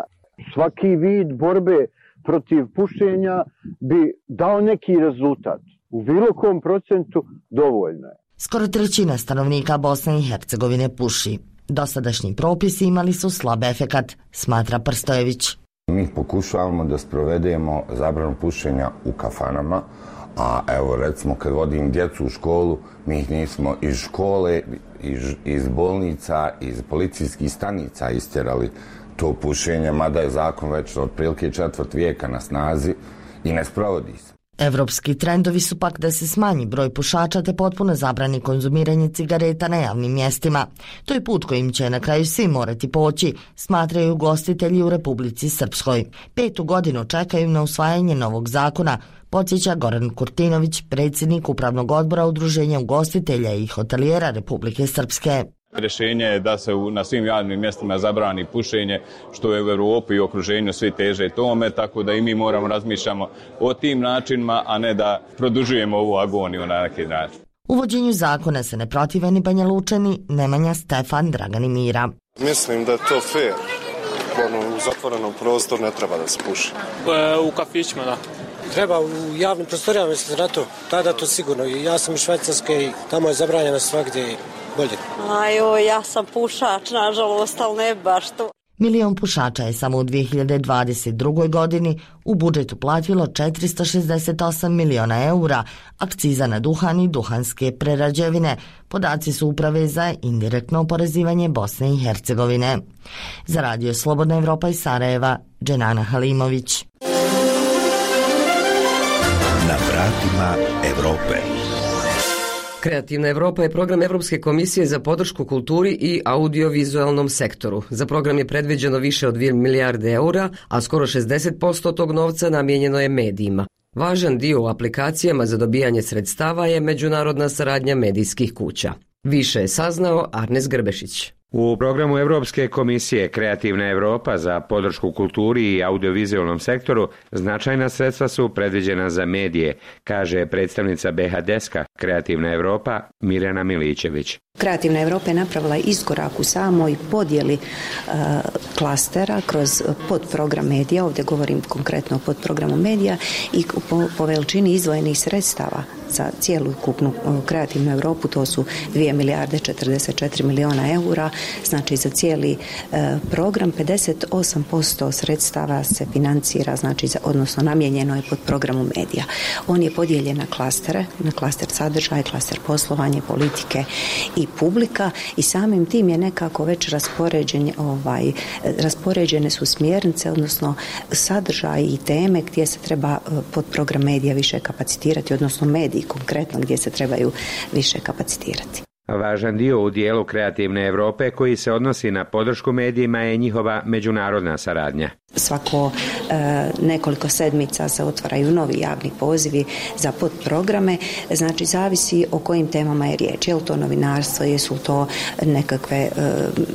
Svaki vid borbe protiv pušenja bi dao neki rezultat. U bilo kom procentu dovoljno je. Skoro trećina stanovnika Bosne i Hercegovine puši. Dosadašnji propisi imali su slab efekat, smatra Prstojević. Mi pokušavamo da sprovedemo zabranu pušenja u kafanama, a evo recimo kad vodim djecu u školu, mi ih nismo iz škole, iz, iz bolnica, iz policijskih stanica istjerali to pušenje, mada je zakon već otprilike četvrt vijeka na snazi i ne sprovodi se. Evropski trendovi su pak da se smanji broj pušača te potpuno zabrani konzumiranje cigareta na javnim mjestima. To je put kojim će na kraju svi morati poći, smatraju ugostitelji u Republici Srpskoj. Petu godinu čekaju na usvajanje novog zakona, podsjeća Goran Kurtinović, predsjednik Upravnog odbora Udruženja ugostitelja i hotelijera Republike Srpske. Rješenje je da se na svim javnim mjestima zabrani pušenje, što je u Europi i okruženju svi teže tome, tako da i mi moramo razmišljamo o tim načinima, a ne da produžujemo ovu agoniju na neki način. Uvođenju zakona se ne protive ni Banja Lučani, Nemanja, Stefan, Dragan i Mira. Mislim da je to fair. Ono, u zatvorenom prostoru ne treba da se puši. E, u kafićima, da. Treba u javnim prostorijama, mislim na to. Tada to sigurno. Ja sam iz Švajcarske i tamo je zabranjeno svakdje bolje. Ajo, ja sam pušač, nažalost, ali ne baš to. Milion pušača je samo u dvije hiljade dvadeset drugoj. godini u budžetu platilo četiristo šezdeset osam miliona eura, akciza na duhan i duhanske prerađevine. Podaci su Uprave za indirektno oporezivanje Bosne i Hercegovine. Za radio Slobodna Evropa iz Sarajeva, Dženana Halimović. Na vratima Evrope. Kreativna Evropa je program Evropske komisije za podršku kulturi i audiovizualnom sektoru. Za program je predviđeno više od dvije milijarde eura, a skoro šezdeset posto tog novca namijenjeno je medijima. Važan dio u aplikacijama za dobijanje sredstava je međunarodna saradnja medijskih kuća. Više je saznao Arnes Grbešić. U programu Evropske komisije Kreativna Evropa za podršku kulturi i audiovizualnom sektoru značajna sredstva su predviđena za medije, kaže predstavnica B H Deska Kreativna Evropa Mirjana Milićević. Kreativna Evropa je napravila iskorak u samoj podjeli uh, klastera kroz podprogram medija, ovdje govorim konkretno o podprogramu medija i po, po veličini izdvojenih sredstava za cijelu kupnu uh, Kreativnu Evropu, to su dvije milijarde četrdeset četiri miliona eura, znači za cijeli uh, program pedeset osam posto sredstava se financira, znači za, odnosno namijenjeno je pod programu medija. On je podijeljen na klastere, na klaster sadržaj, klaster poslovanje, politike i publika i samim tim je nekako već raspoređen, ovaj, raspoređene su smjernice, odnosno sadržaj i teme gdje se treba pod program medija više kapacitirati, odnosno mediji konkretno gdje se trebaju više kapacitirati. Važan dio u dijelu Kreativne Evrope koji se odnosi na podršku medijima je njihova međunarodna saradnja. Svako e, nekoliko sedmica se otvaraju novi javni pozivi za podprograme, znači zavisi o kojim temama je riječ. Je li to novinarstvo, jesu to nekakve e,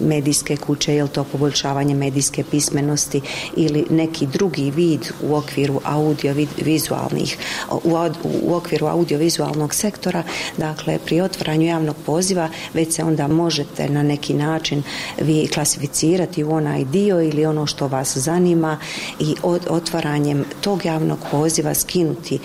medijske kuće, je li to poboljšavanje medijske pismenosti ili neki drugi vid u okviru audiovizualnih, u, u okviru audiovizualnog sektora. Dakle, pri otvaranju javnog poziva već se onda možete na neki način vi klasificirati u onaj dio ili ono što vas zanima i od otvaranjem tog javnog poziva skinuti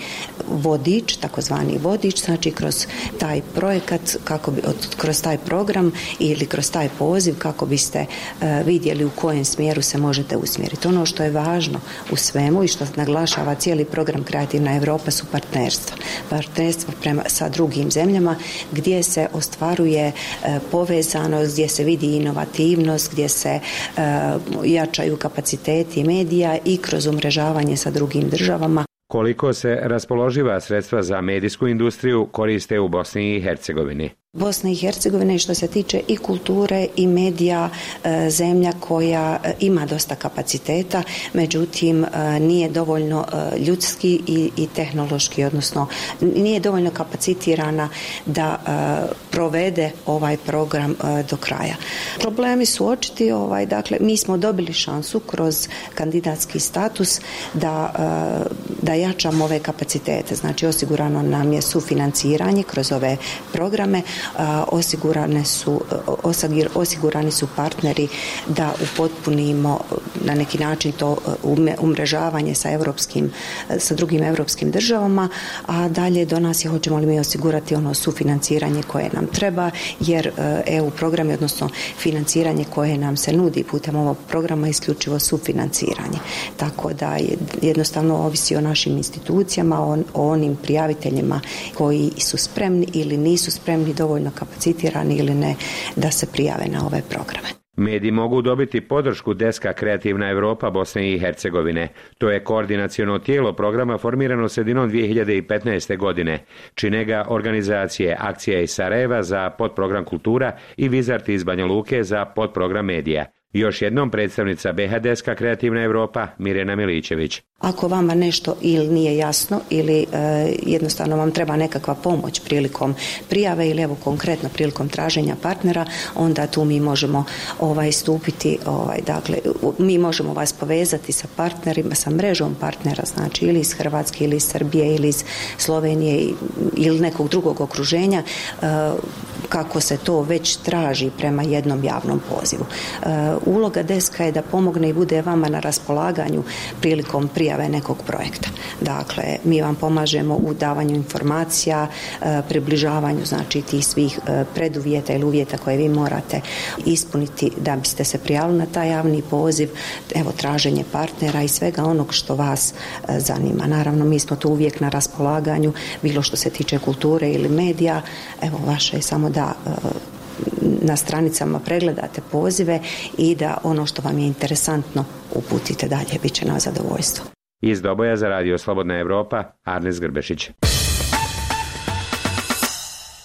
vodič, takozvani vodič, znači kroz taj projekat, kako bi, kroz taj program ili kroz taj poziv kako biste uh, vidjeli u kojem smjeru se možete usmjeriti. Ono što je važno u svemu i što naglašava cijeli program Kreativna Evropa su partnerstva. Partnerstva prema, sa drugim zemljama gdje se ostvaruje uh, povezanost, gdje se vidi inovativnost, gdje se uh, jačaju kapaciteti medija i kroz umrežavanje sa drugim državama. Koliko se raspoloživa sredstva za medijsku industriju koriste u Bosni i Hercegovini? Bosna i Hercegovina što se tiče i kulture i medija zemlja koja ima dosta kapaciteta, međutim nije dovoljno ljudski i, i tehnološki, odnosno nije dovoljno kapacitirana da provede ovaj program do kraja. Problemi su očiti, ovaj, dakle mi smo dobili šansu kroz kandidatski status da, da jačamo ove kapacitete, znači osigurano nam je sufinanciranje kroz ove programe. osigurane su, osigurani su partneri da upotpunimo na neki način to umrežavanje sa europskim, sa drugim europskim državama, a dalje do nas je hoćemo li mi osigurati ono sufinanciranje koje nam treba, jer E U programi, odnosno financiranje koje nam se nudi putem ovog programa isključivo sufinanciranje. Tako da jednostavno ovisi o našim institucijama, o, o onim prijaviteljima koji su spremni ili nisu spremni, dovoljno kapacitirani ili ne da se prijave na ove programe. Mediji mogu dobiti podršku deska Kreativna Evropa Bosne i Hercegovine. To je koordinaciono tijelo programa formirano sredinom dvije hiljade petnaeste. godine. Čine ga organizacije Akcija iz Sarajeva za podprogram Kultura i Vizarti iz Banja Luke za podprogram Medija. Još jednom predstavnica B H deska Kreativna Evropa Mirjana Milićević. Ako vama nešto ili nije jasno ili e, jednostavno vam treba nekakva pomoć prilikom prijave ili evo konkretno prilikom traženja partnera, onda tu mi možemo ovaj stupiti, ovaj dakle mi možemo vas povezati sa partnerima, sa mrežom partnera, znači ili iz Hrvatske ili iz Srbije ili iz Slovenije ili nekog drugog okruženja, e, kako se to već traži prema jednom javnom pozivu. E, uloga deska je da pomogne i bude vama na raspolaganju prilikom prijave nekog projekta. Dakle, mi vam pomažemo u davanju informacija, približavanju znači tih svih preduvjeta ili uvjeta koje vi morate ispuniti da biste se prijavili na taj javni poziv, evo traženje partnera i svega onog što vas zanima. Naravno, mi smo tu uvijek na raspolaganju, bilo što se tiče kulture ili medija, evo vaše je samo da na stranicama pregledate pozive i da ono što vam je interesantno uputite dalje, bit će na zadovoljstvo. Iz Doboja za Radio Slobodna Evropa, Arnes Grbešić.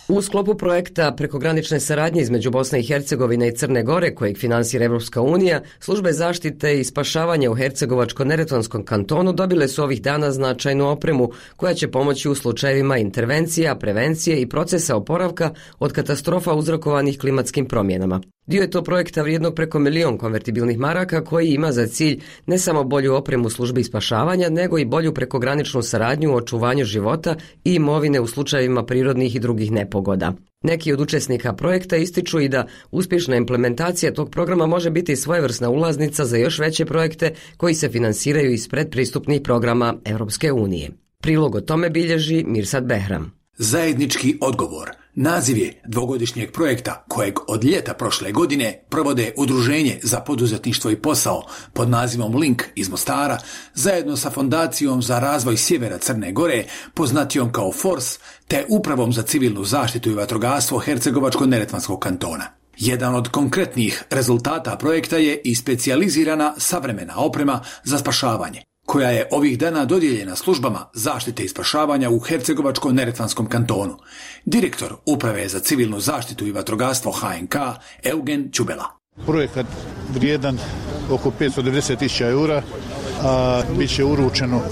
U sklopu projekta prekogranične saradnje između Bosne i Hercegovine i Crne Gore, kojeg finansira Evropska unija, službe zaštite i spašavanja u Hercegovačko-Neretvanskom kantonu dobile su ovih dana značajnu opremu koja će pomoći u slučajevima intervencija, prevencije i procesa oporavka od katastrofa uzrokovanih klimatskim promjenama. Dio je to projekta vrijednog preko milion konvertibilnih maraka koji ima za cilj ne samo bolju opremu službi spašavanja, nego i bolju prekograničnu saradnju u očuvanju života i imovine u slučajevima prirodnih i drugih nepogoda. Neki od učesnika projekta ističu i da uspješna implementacija tog programa može biti svojevrsna ulaznica za još veće projekte koji se finansiraju iz predpristupnih programa Europske unije. Prilog o tome bilježi Mirsad Behram. Zajednički odgovor. Naziv je dvogodišnjeg projekta kojeg od ljeta prošle godine provode Udruženje za poduzetništvo i posao pod nazivom Link iz Mostara zajedno sa Fondacijom za razvoj sjevera Crne Gore, poznatijom kao Fors, te Upravom za civilnu zaštitu i vatrogastvo Hercegovačko-Neretvanskog kantona. Jedan od konkretnih rezultata projekta je i specijalizirana savremena oprema za spašavanje, koja je ovih dana dodijeljena službama zaštite i spašavanja u Hercegovačko-Neretvanskom kantonu. Direktor Uprave za civilnu zaštitu i vatrogastvo H N K Eugen Čubela. Projekat vrijedan oko petsto devedeset tisuća eura, a bit će uručeno uh,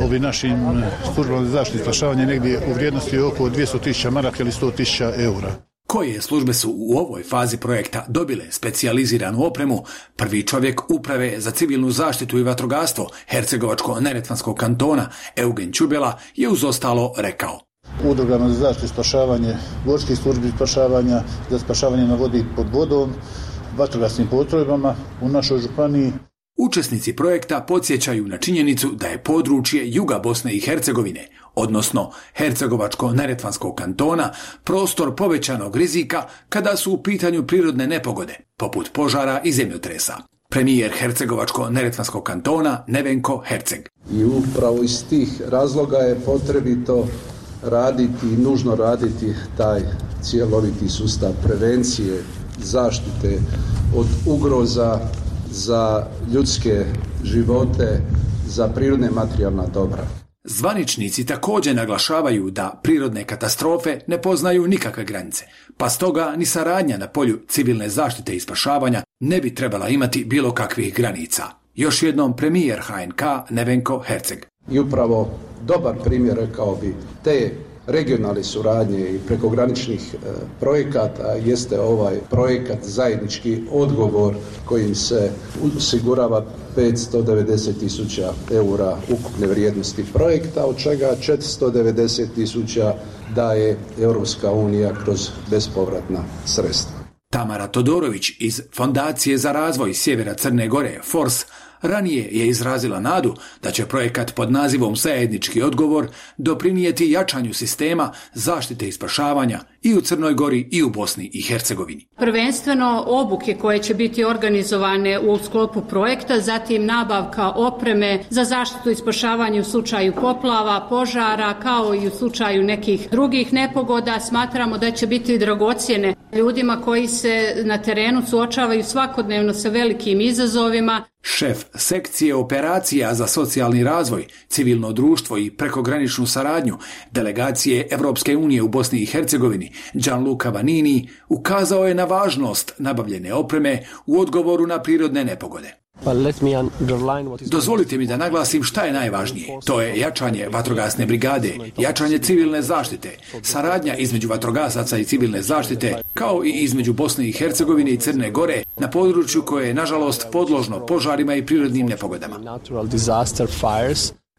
ovim našim službama za zaštitu i spašavanje negdje u vrijednosti oko dvjesto tisuća maraka ili sto tisuća eura. Koje službe su u ovoj fazi projekta dobile specijaliziranu opremu, prvi čovjek Uprave za civilnu zaštitu i vatrogastvo Hercegovačko-Neretvanskog kantona Eugen Čubela je uz ostalo rekao. Udrugama za zaštitu i spašavanje, gorskih službi spašavanja, za spašavanje na vodi pod vodom, vatrogasnim postrojbama u našoj županiji. Učesnici projekta podsjećaju na činjenicu da je područje juga Bosne i Hercegovine, odnosno Hercegovačko-Neretvanskog kantona, prostor povećanog rizika kada su u pitanju prirodne nepogode, poput požara i zemljotresa. Premijer Hercegovačko-Neretvanskog kantona Nevenko Herceg. I upravo iz tih razloga je potrebito raditi i nužno raditi taj cjeloviti sustav prevencije, zaštite od ugroza za ljudske živote, za prirodne materijalna dobra. Zvaničnici također naglašavaju da prirodne katastrofe ne poznaju nikakve granice, pa stoga ni saradnja na polju civilne zaštite i spašavanja ne bi trebala imati bilo kakvih granica. Još jednom premijer H N K Nevenko Herceg. I upravo dobar primjer, rekao bi, te regionalne suradnje i prekograničnih e, projekata jeste ovaj projekat zajednički odgovor kojim se osigurava petsto devedeset tisuća eura ukupne vrijednosti projekta, od čega četiristo devedeset tisuća daje Europska unija kroz bespovratna sredstva. Tamara Todorović iz Fondacije za razvoj Sjevera Crne Gore, Fors, ranije je izrazila nadu da će projekat pod nazivom Zajednički odgovor doprinijeti jačanju sistema zaštite i spašavanja i u Crnoj Gori i u Bosni i Hercegovini. Prvenstveno obuke koje će biti organizovane u sklopu projekta, zatim nabavka opreme za zaštitu i spašavanje u slučaju poplava, požara, kao i u slučaju nekih drugih nepogoda. Smatramo da će biti dragocjene ljudima koji se na terenu suočavaju svakodnevno sa velikim izazovima. Šef sekcije operacija za socijalni razvoj, civilno društvo i prekograničnu saradnju delegacije Evropske unije u Bosni i Hercegovini, Gianluca Vanini, ukazao je na važnost nabavljene opreme u odgovoru na prirodne nepogode. Dozvolite mi da naglasim šta je najvažnije. To je jačanje vatrogasne brigade, jačanje civilne zaštite, saradnja između vatrogasaca i civilne zaštite, kao i između Bosne i Hercegovine i Crne Gore na području koje je, nažalost, podložno požarima i prirodnim nepogodama.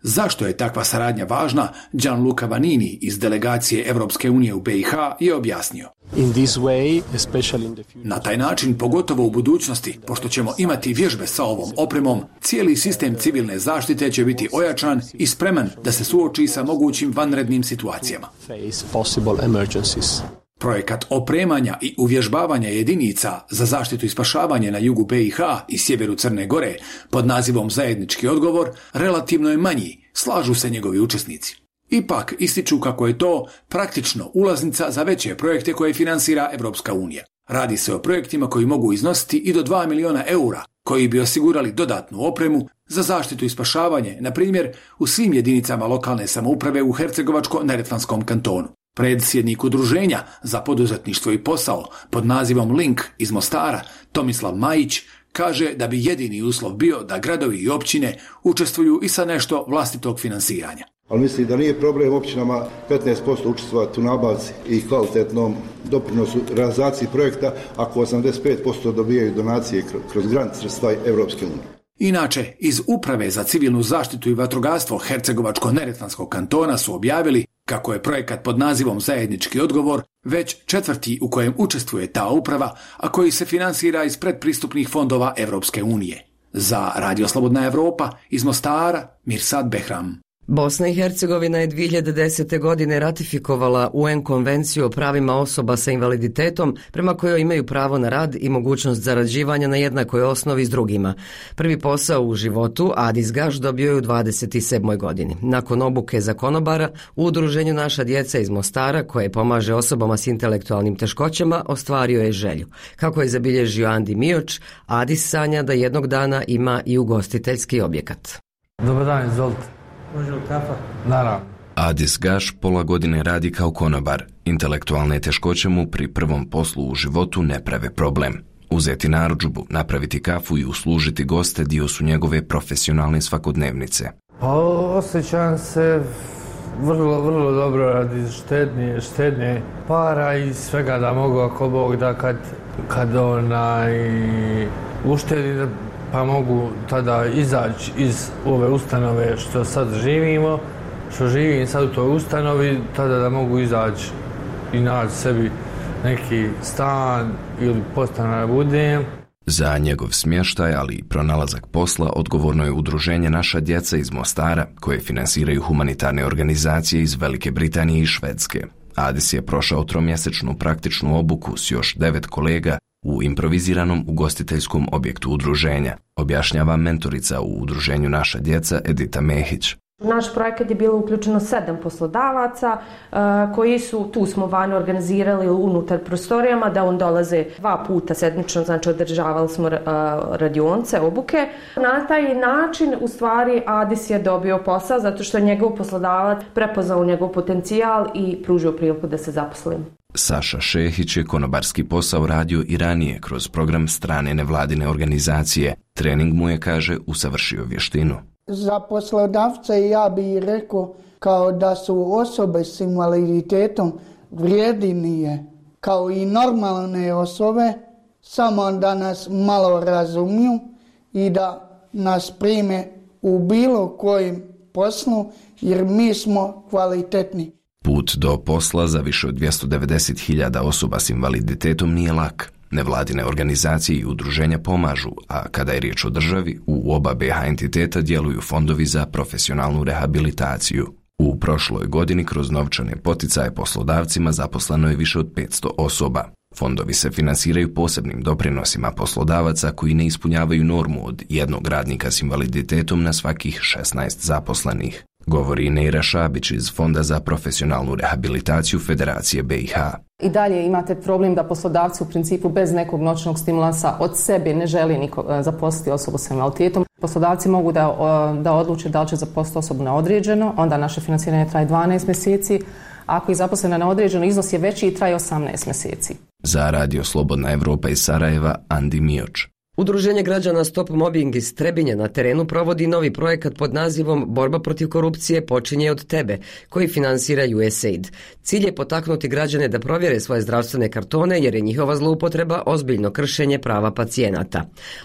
Zašto je takva saradnja važna, Gianluca Vanini iz delegacije Evropske unije u B i H je objasnio. Na taj način, pogotovo u budućnosti, pošto ćemo imati vježbe sa ovom opremom, cijeli sistem civilne zaštite će biti ojačan i spreman da se suoči sa mogućim vanrednim situacijama. Projekat opremanja i uvježbavanja jedinica za zaštitu i spašavanje na jugu B i H i sjeveru Crne Gore pod nazivom Zajednički odgovor relativno je manji, slažu se njegovi učesnici. Ipak ističu kako je to praktično ulaznica za veće projekte koje finansira Evropska unija. Radi se o projektima koji mogu iznositi i do dva miliona eura, koji bi osigurali dodatnu opremu za zaštitu i spašavanje, na primjer u svim jedinicama lokalne samouprave u Hercegovačko-Neretvanskom kantonu. Predsjednik udruženja za poduzetništvo i posao pod nazivom Link iz Mostara, Tomislav Majić, kaže da bi jedini uslov bio da gradovi i općine učestvuju i sa nešto vlastitog finansiranja. Ali mislim da nije problem općinama petnaest posto učestvovati u nabavci i kvalitetnom doprinosu realizaciji projekta ako osamdeset pet posto dobijaju donacije kroz grant sredstva Evropske unije. Inače, iz Uprave za civilnu zaštitu i vatrogastvo Hercegovačko-Neretvanskog kantona su objavili kako je projekat pod nazivom Zajednički odgovor već četvrti u kojem učestvuje ta uprava, a koji se finansira iz predpristupnih fondova Evropske unije. Za Radio Slobodna Evropa iz Mostara, Mirsad Behram. Bosna i Hercegovina je dvije hiljade desete. godine ratifikovala U N konvenciju o pravima osoba sa invaliditetom prema kojoj imaju pravo na rad i mogućnost zarađivanja na jednakoj osnovi s drugima. Prvi posao u životu Adis Gaš dobio je u dvadeset sedmoj. godini. Nakon obuke za konobara u udruženju Naša djeca iz Mostara, koje pomaže osobama s intelektualnim teškoćama, ostvario je želju. Kako je zabilježio Andi Mioč, Adis sanja da jednog dana ima i ugostiteljski objekat. Dobar dan, izvolite. Može li kafa? Naravno. Adis Gaš pola godine radi kao konobar. Intelektualne teškoće mu pri prvom poslu u životu ne prave problem. Uzeti narudžbu, napraviti kafu i uslužiti goste dio su njegove profesionalne svakodnevnice. Pa osjećam se vrlo, vrlo dobro radi štednje, štednje para i svega da mogu ako Bog da kad, kad onaj uštedi pa mogu tada izaći iz ove ustanove što sad živimo, što živim sad u toj ustanovi, tada da mogu izaći i naći sebi neki stan ili podstanar budem. Za njegov smještaj, ali i pronalazak posla, odgovorno je udruženje Naša djeca iz Mostara, koje finansiraju humanitarne organizacije iz Velike Britanije i Švedske. Adis je prošao tromjesečnu praktičnu obuku s još devet kolega u improviziranom ugostiteljskom objektu udruženja, objašnjava mentorica u udruženju Naša djeca Edita Mehić. U naš projekat je bilo uključeno sedam poslodavaca koji su, tu smo vani organizirali unutar prostorijama, da on dolaze dva puta sedmično, znači održavali smo radionce, obuke. Na taj način u stvari Adis je dobio posao zato što je njegov poslodavac prepoznao njegov potencijal i pružio priliku da se zaposli. Saša Šehić je konobarski posao radio i ranije kroz program strane nevladine organizacije. Trening mu je, kaže, usavršio vještinu. Za poslodavce ja bih rekao kao da su osobe s invaliditetom vrijednije kao i normalne osobe, samo da nas malo razumiju i da nas prime u bilo kojem poslu jer mi smo kvalitetni. Put do posla za više od dvjesto devedeset hiljada osoba s invaliditetom nije lak. Nevladine organizacije i udruženja pomažu, a kada je riječ o državi, u oba B H entiteta djeluju fondovi za profesionalnu rehabilitaciju. U prošloj godini kroz novčane poticaje poslodavcima zaposleno je više od petsto osoba. Fondovi se finansiraju posebnim doprinosima poslodavaca koji ne ispunjavaju normu od jednog radnika s invaliditetom na svakih šesnaest zaposlenih. Govori Neira Šabić iz Fonda za profesionalnu rehabilitaciju Federacije B i H. I dalje imate problem da poslodavci u principu bez nekog noćnog stimulansa od sebe ne želi niko zaposliti osobu sa invaliditetom. Poslodavci mogu da, da odluče da li će zaposliti osobu na određeno, onda naše financiranje traje dvanaest mjeseci. Ako je zaposlena na određeno, iznos je veći i traje osamnaest mjeseci. Za Radio Slobodna Evropa iz Sarajeva, Andi Mioč. Udruženje građana Stop Mobbing iz Trebinja na terenu provodi novi projekat pod nazivom Borba protiv korupcije počinje od tebe, koji finansira U S A I D. Cilj je potaknuti građane da provjere svoje zdravstvene kartone jer je njihova zloupotreba ozbiljno kršenje prava pacijenata.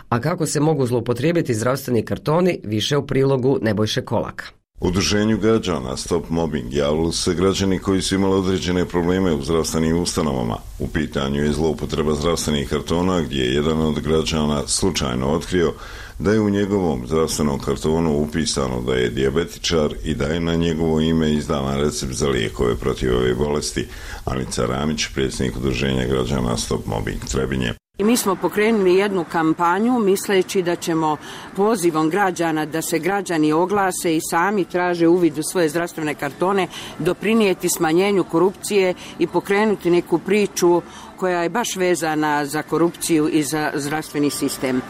A kako se mogu zloupotrijebiti zdravstveni kartoni, više u prilogu Nebojše Kolaka. Udruženju građana Stop Mobbing javili se građani koji su imali određene probleme u zdravstvenim ustanovama. U pitanju je zloupotreba zdravstvenih kartona gdje je jedan od građana slučajno otkrio da je u njegovom zdravstvenom kartonu upisano da je dijabetičar i da je na njegovo ime izdavan recept za lijekove protiv ove bolesti. Anica Ramić, predsjednik Udruženja građana Stop Mobbing Trebinje. I mi smo pokrenuli jednu kampanju misleći da ćemo pozivom građana da se građani oglase i sami traže uvid u svoje zdravstvene kartone, doprinijeti smanjenju korupcije i pokrenuti neku priču koja je baš vezana za korupciju i za zdravstveni sistem.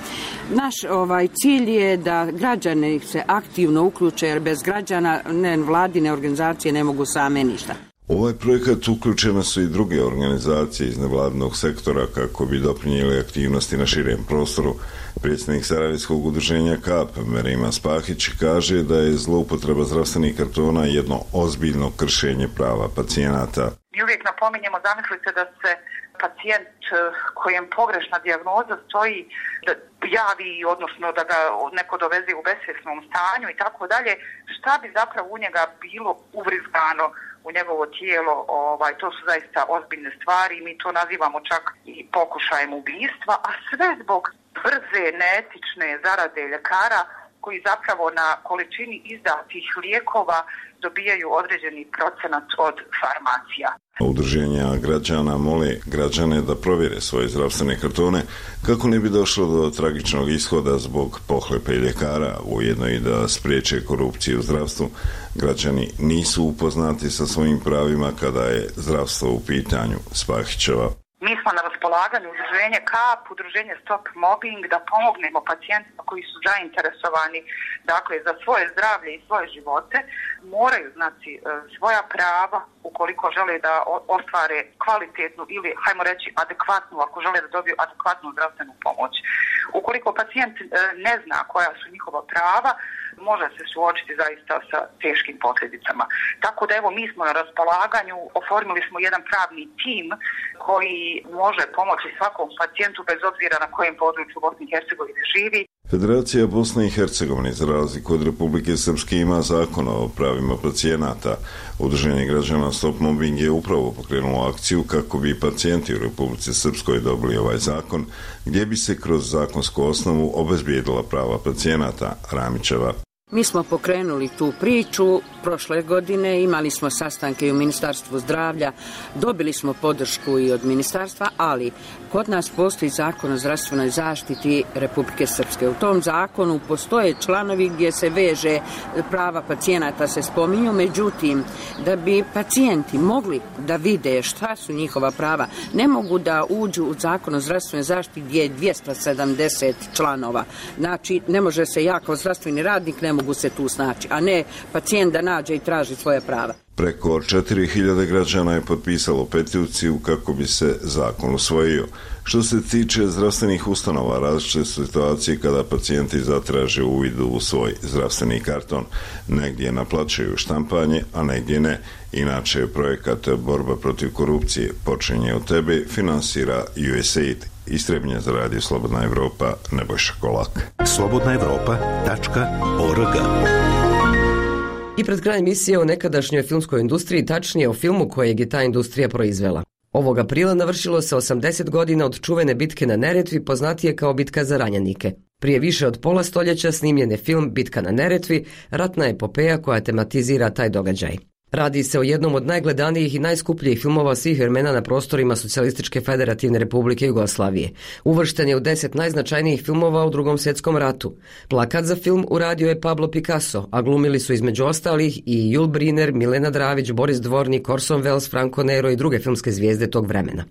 Naš ovaj cilj je da građani se aktivno uključe jer bez građana ne, vladine organizacije ne mogu same ništa. U ovaj projekat uključene su i druge organizacije iz nevladinog sektora kako bi doprinijeli aktivnosti na širem prostoru. Predsjednik Sarajevskog udruženja K A P, Merima Spahić, kaže da je zloupotreba zdravstvenih kartona jedno ozbiljno kršenje prava pacijenata. Mi uvijek napominjemo, zamislite da se pacijent kojem pogrešna dijagnoza stoji da javi, odnosno da ga neko doveze u besvjesnom stanju i tako dalje, šta bi zapravo u njega bilo uvrizgano u njegovo tijelo, ovaj, to su zaista ozbiljne stvari i mi to nazivamo čak i pokušajem ubijstva, a sve zbog brze, neetične zarade ljekara koji zapravo na količini izdatih lijekova dobijaju određeni procenat od farmacija. Udruženja građana mole građane da provjere svoje zdravstvene kartone kako ne bi došlo do tragičnog ishoda zbog pohlepe ljekara, ujedno i da spriječe korupciju u zdravstvu. Građani nisu upoznati sa svojim pravima kada je zdravstvo u pitanju. Spahićeva. Mi smo na raspolaganju udruženje K A P, udruženje Stop Mobbing, da pomognemo pacijentima koji su zainteresovani dakle, za svoje zdravlje i svoje živote, moraju znati svoja prava ukoliko žele da ostvare kvalitetnu ili, hajmo reći, adekvatnu, ako žele da dobiju adekvatnu zdravstvenu pomoć. Ukoliko pacijent ne zna koja su njihova prava, može se suočiti zaista sa teškim posljedicama. Tako da evo mi smo na raspolaganju, oformili smo jedan pravni tim koji može pomoći svakom pacijentu bez obzira na kojem području Bosne i Hercegovine živi. Federacija Bosne i Hercegovine za razliku od Republike Srpske ima zakon o pravima pacijenata. Udruženje građana Stop Mobbing je upravo pokrenulo akciju kako bi pacijenti u Republici Srpskoj dobili ovaj zakon, gdje bi se kroz zakonsku osnovu obezbijedila prava pacijenata. Ramićeva. Mi smo pokrenuli tu priču prošle godine, imali smo sastanke i u Ministarstvu zdravlja, dobili smo podršku i od ministarstva, ali kod nas postoji zakon o zdravstvenoj zaštiti Republike Srpske. U tom zakonu postoje članovi gdje se veže prava pacijenata se spominju, međutim, da bi pacijenti mogli da vide šta su njihova prava, ne mogu da uđu u zakon o zdravstvenoj zaštiti gdje je dvjesto sedamdeset članova. Znači, ne može se ja kao zdravstveni radnik, ne mogu mogu se tu snaći, a ne pacijent da nađe i traži svoje prava. Preko četiri hiljade građana je potpisalo peticiju kako bi se zakon usvojio. Što se tiče zdravstvenih ustanova, različite situacije kada pacijenti zatraže uvid u svoj zdravstveni karton. Negdje naplaćuju štampanje, a negdje ne. Inače, projekat Borba protiv korupcije počinje od tebe, finansira U S A I D. Istrebnje za radio Slobodna Evropa, Nebojša Kolak. slobodna evropa tačka org. I pred kraj emisije o nekadašnjoj filmskoj industriji, tačnije o filmu kojeg je ta industrija proizvela. Ovog aprila navršilo se osamdeset godina od čuvene bitke na Neretvi, poznatije kao Bitka za ranjenike. Prije više od pola stoljeća snimljen je film Bitka na Neretvi, ratna epopeja koja tematizira taj događaj. Radi se o jednom od najgledanijih i najskupljih filmova svih vremena na prostorima Socijalističke federativne republike Jugoslavije. Uvršten je u deset najznačajnijih filmova u Drugom svjetskom ratu. Plakat za film uradio je Pablo Picasso, a glumili su između ostalih i Jul Brynner, Milena Dravić, Boris Dvornik, Orson Welles, Franco Nero i druge filmske zvijezde tog vremena.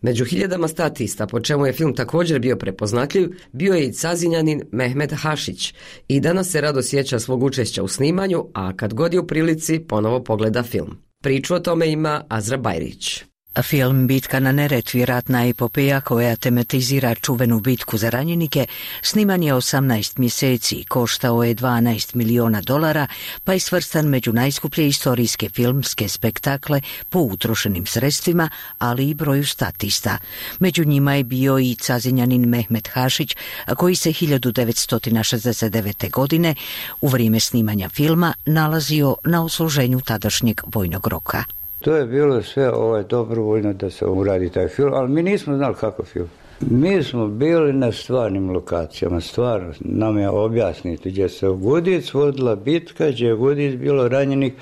Među hiljadama statista, po čemu je film također bio prepoznatljiv, bio je i Cazinjanin Mehmet Hašić. I danas se rado sjeća svog učešća u snimanju, a kad god je u prilici, ponovo pogleda da film. Priču o tome ima Azra Bajrić. Film Bitka na Neretvi, ratna epopeja koja tematizira čuvenu bitku za ranjenike, sniman je osamnaest mjeseci, koštao je dvanaest miliona dolara, pa je svrstan među najskuplje istorijske filmske spektakle po utrošenim sredstvima, ali i broju statista. Među njima je bio i Cazinjanin Mehmet Hašić, koji se hiljadu devetsto šezdeset devete. godine u vrijeme snimanja filma nalazio na odsluženju tadašnjeg vojnog roka. To je bilo sve ovaj dobrovoljno da se uradi taj film, ali mi nismo znali kako film. Mi smo bili na stvarnim lokacijama, stvarno nam je objasniti gdje se u Gudic vodila bitka, gdje je Gudic bilo ranjenih,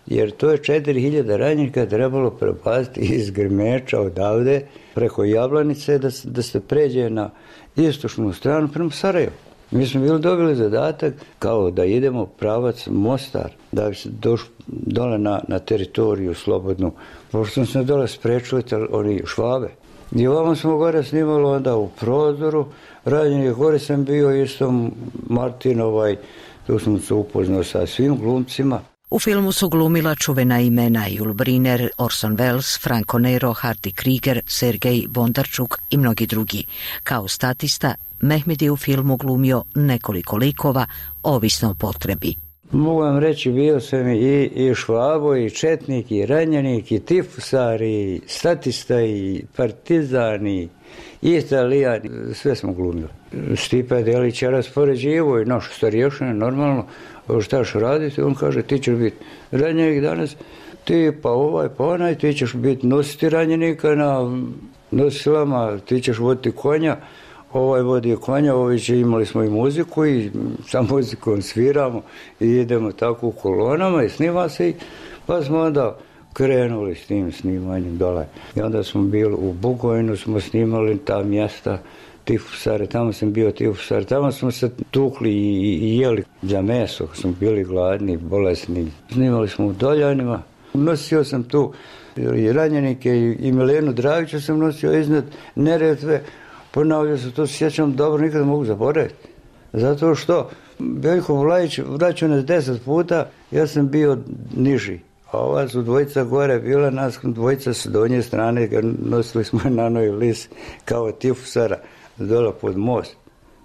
jer to je četiri hiljade ranjenika trebalo prepasti iz Grmeča odavde preko Jablanice da, da se pređe na istočnu stranu prema Sarajevu. Mi smo bili dobili zadatak kao da idemo pravac Mostar, da bi se došli dole na, na teritoriju slobodnu. Pošto smo dole sprečili oni Švabe. I ovamo smo gore snimali onda u prozoru. Ranjenih gore sam bio isto Martin, ovaj, tu sam se upoznao sa svim glumcima. U filmu su glumila čuvena imena Jul Brynner, Orson Welles, Franco Nero, Hardy Krieger, Sergej Bondarčuk i mnogi drugi. Kao statista, Mehmed je u filmu glumio nekoliko likova, ovisno o potrebi. Mogu vam reći, bio sam i, i Švabo, i Četnik, i Ranjenik, i Tifusar, i statista, i Partizan, i Italijan, sve smo glumili. Stipe Delić je raspoređivo i naš starješina, normalno, šta ćeš raditi, on kaže, ti ćeš biti ranjenik danas, ti pa ovaj, pa onaj, ti ćeš biti nositi ranjenika na nosilama, ti ćeš voditi konja, ovaj vodi konja, ovi će, imali smo i muziku i sa muzikom sviramo i idemo tako u kolonama i snima se i pa smo onda krenuli s tim snimanjem dole. I onda smo bili u Bugojnu, smo snimali ta mjesta, Tifusare, tamo sam bio Tifusare, tamo smo se tukli i, i jeli za meso, smo bili gladni, bolesni. Snimali smo u Doljanima, nosio sam tu i ranjenike i, i Milenu Dravića sam nosio iznad Neretve. Ponavljao se, to se sjećam dobro, nikada mogu zaboraviti. Zato što Veljko Vlajić vraćao nas deset puta, ja sam bio niži. A ova su dvojica gore bila, nas dvojica s donje strane, nosili smo na noj lis kao Tifusara dole pod most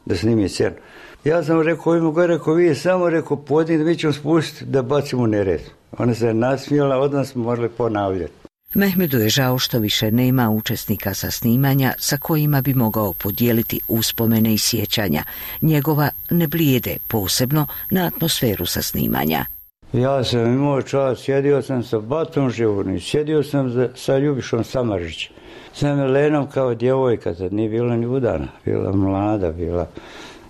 da snimi scenu. Ja sam rekao, ima gore, rekao, vi samo rekao, podnijete, mi ćemo spustiti da bacimo nered. Ona se nasmijela, od nas smo morali ponavljati. Mehmedu je žao što više nema učesnika sa snimanja sa kojima bi mogao podijeliti uspomene i sjećanja. Njegova ne blijede posebno na atmosferu sa snimanja. Ja sam imao čast, sjedio sam sa Batom Živornim, sjedio sam za, sa Ljubišom Samaržićem, sa Milenom kao djevojka, tad nije bila ni udana, bila mlada, bila.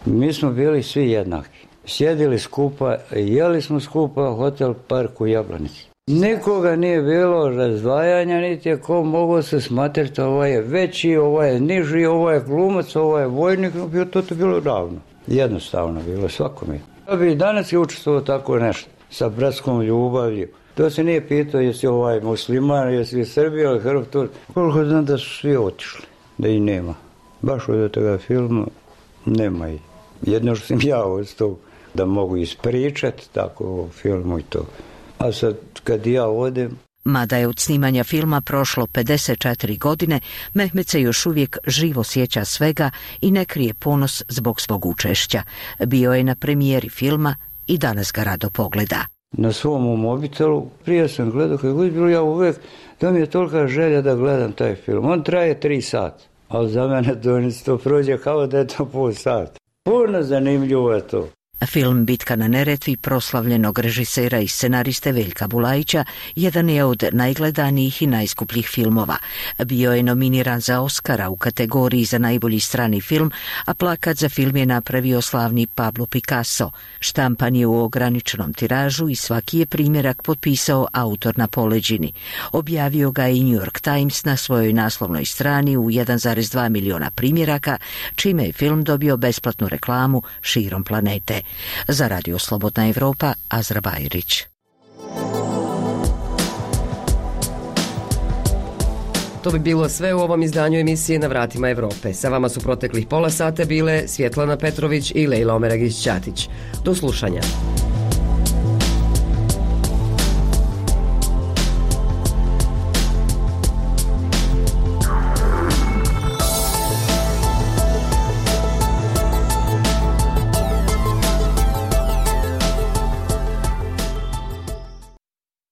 Mi smo bili svi jednaki. Sjedili skupa, jeli smo skupa, hotel Park u Jablanici. Nikoga nije bilo razdvajanja, niti je ko mogao se smatrati, ovaj je veći, ovaj je niži, ovaj je glumac, ovaj je vojnik, to je bilo ravno. Jednostavno bilo svakome. Ja bi danas je učestvovao tako nešto, sa bratskom ljubavlju. To se nije pitao jesi ovaj musliman, jesi Srbija ili Hrv, to. Koliko znam da su svi otišli, da i nema. Baš od toga filma nema i. Jedno što sam ja od tog da mogu ispričati tako o filmu i to. A sad kad ja odem... Mada je od snimanja filma prošlo pedeset četiri godine, Mehmet se još uvijek živo sjeća svega i ne krije ponos zbog svog učešća. Bio je na premijeri filma i danas ga rado pogleda. Na svom mobitelu, prije sam gledao, kad god bilo ja uvijek, da mi je tolika želja da gledam taj film. On traje tri sata, ali za mene to prođe kao da je to pol sata. Puno zanimljivo je to. Film Bitka na Neretvi proslavljenog režisera i scenariste Veljka Bulajića jedan je od najgledanijih i najskupljih filmova. Bio je nominiran za Oscara u kategoriji za najbolji strani film, a plakat za film je napravio slavni Pablo Picasso. Štampan je u ograničenom tiražu i svaki je primjerak potpisao autor na poleđini. Objavio ga i New York Times na svojoj naslovnoj strani u jedan zarez dva miliona primjeraka, čime je film dobio besplatnu reklamu širom planete. Za Radio Slobodna Evropa, Azra Bajrić. To bi bilo sve u ovom izdanju emisije Na vratima Evrope. Sa vama su proteklih pola sata bile Svjetlana Petrović i Lejla Omeragić-Ćatić. Do slušanja.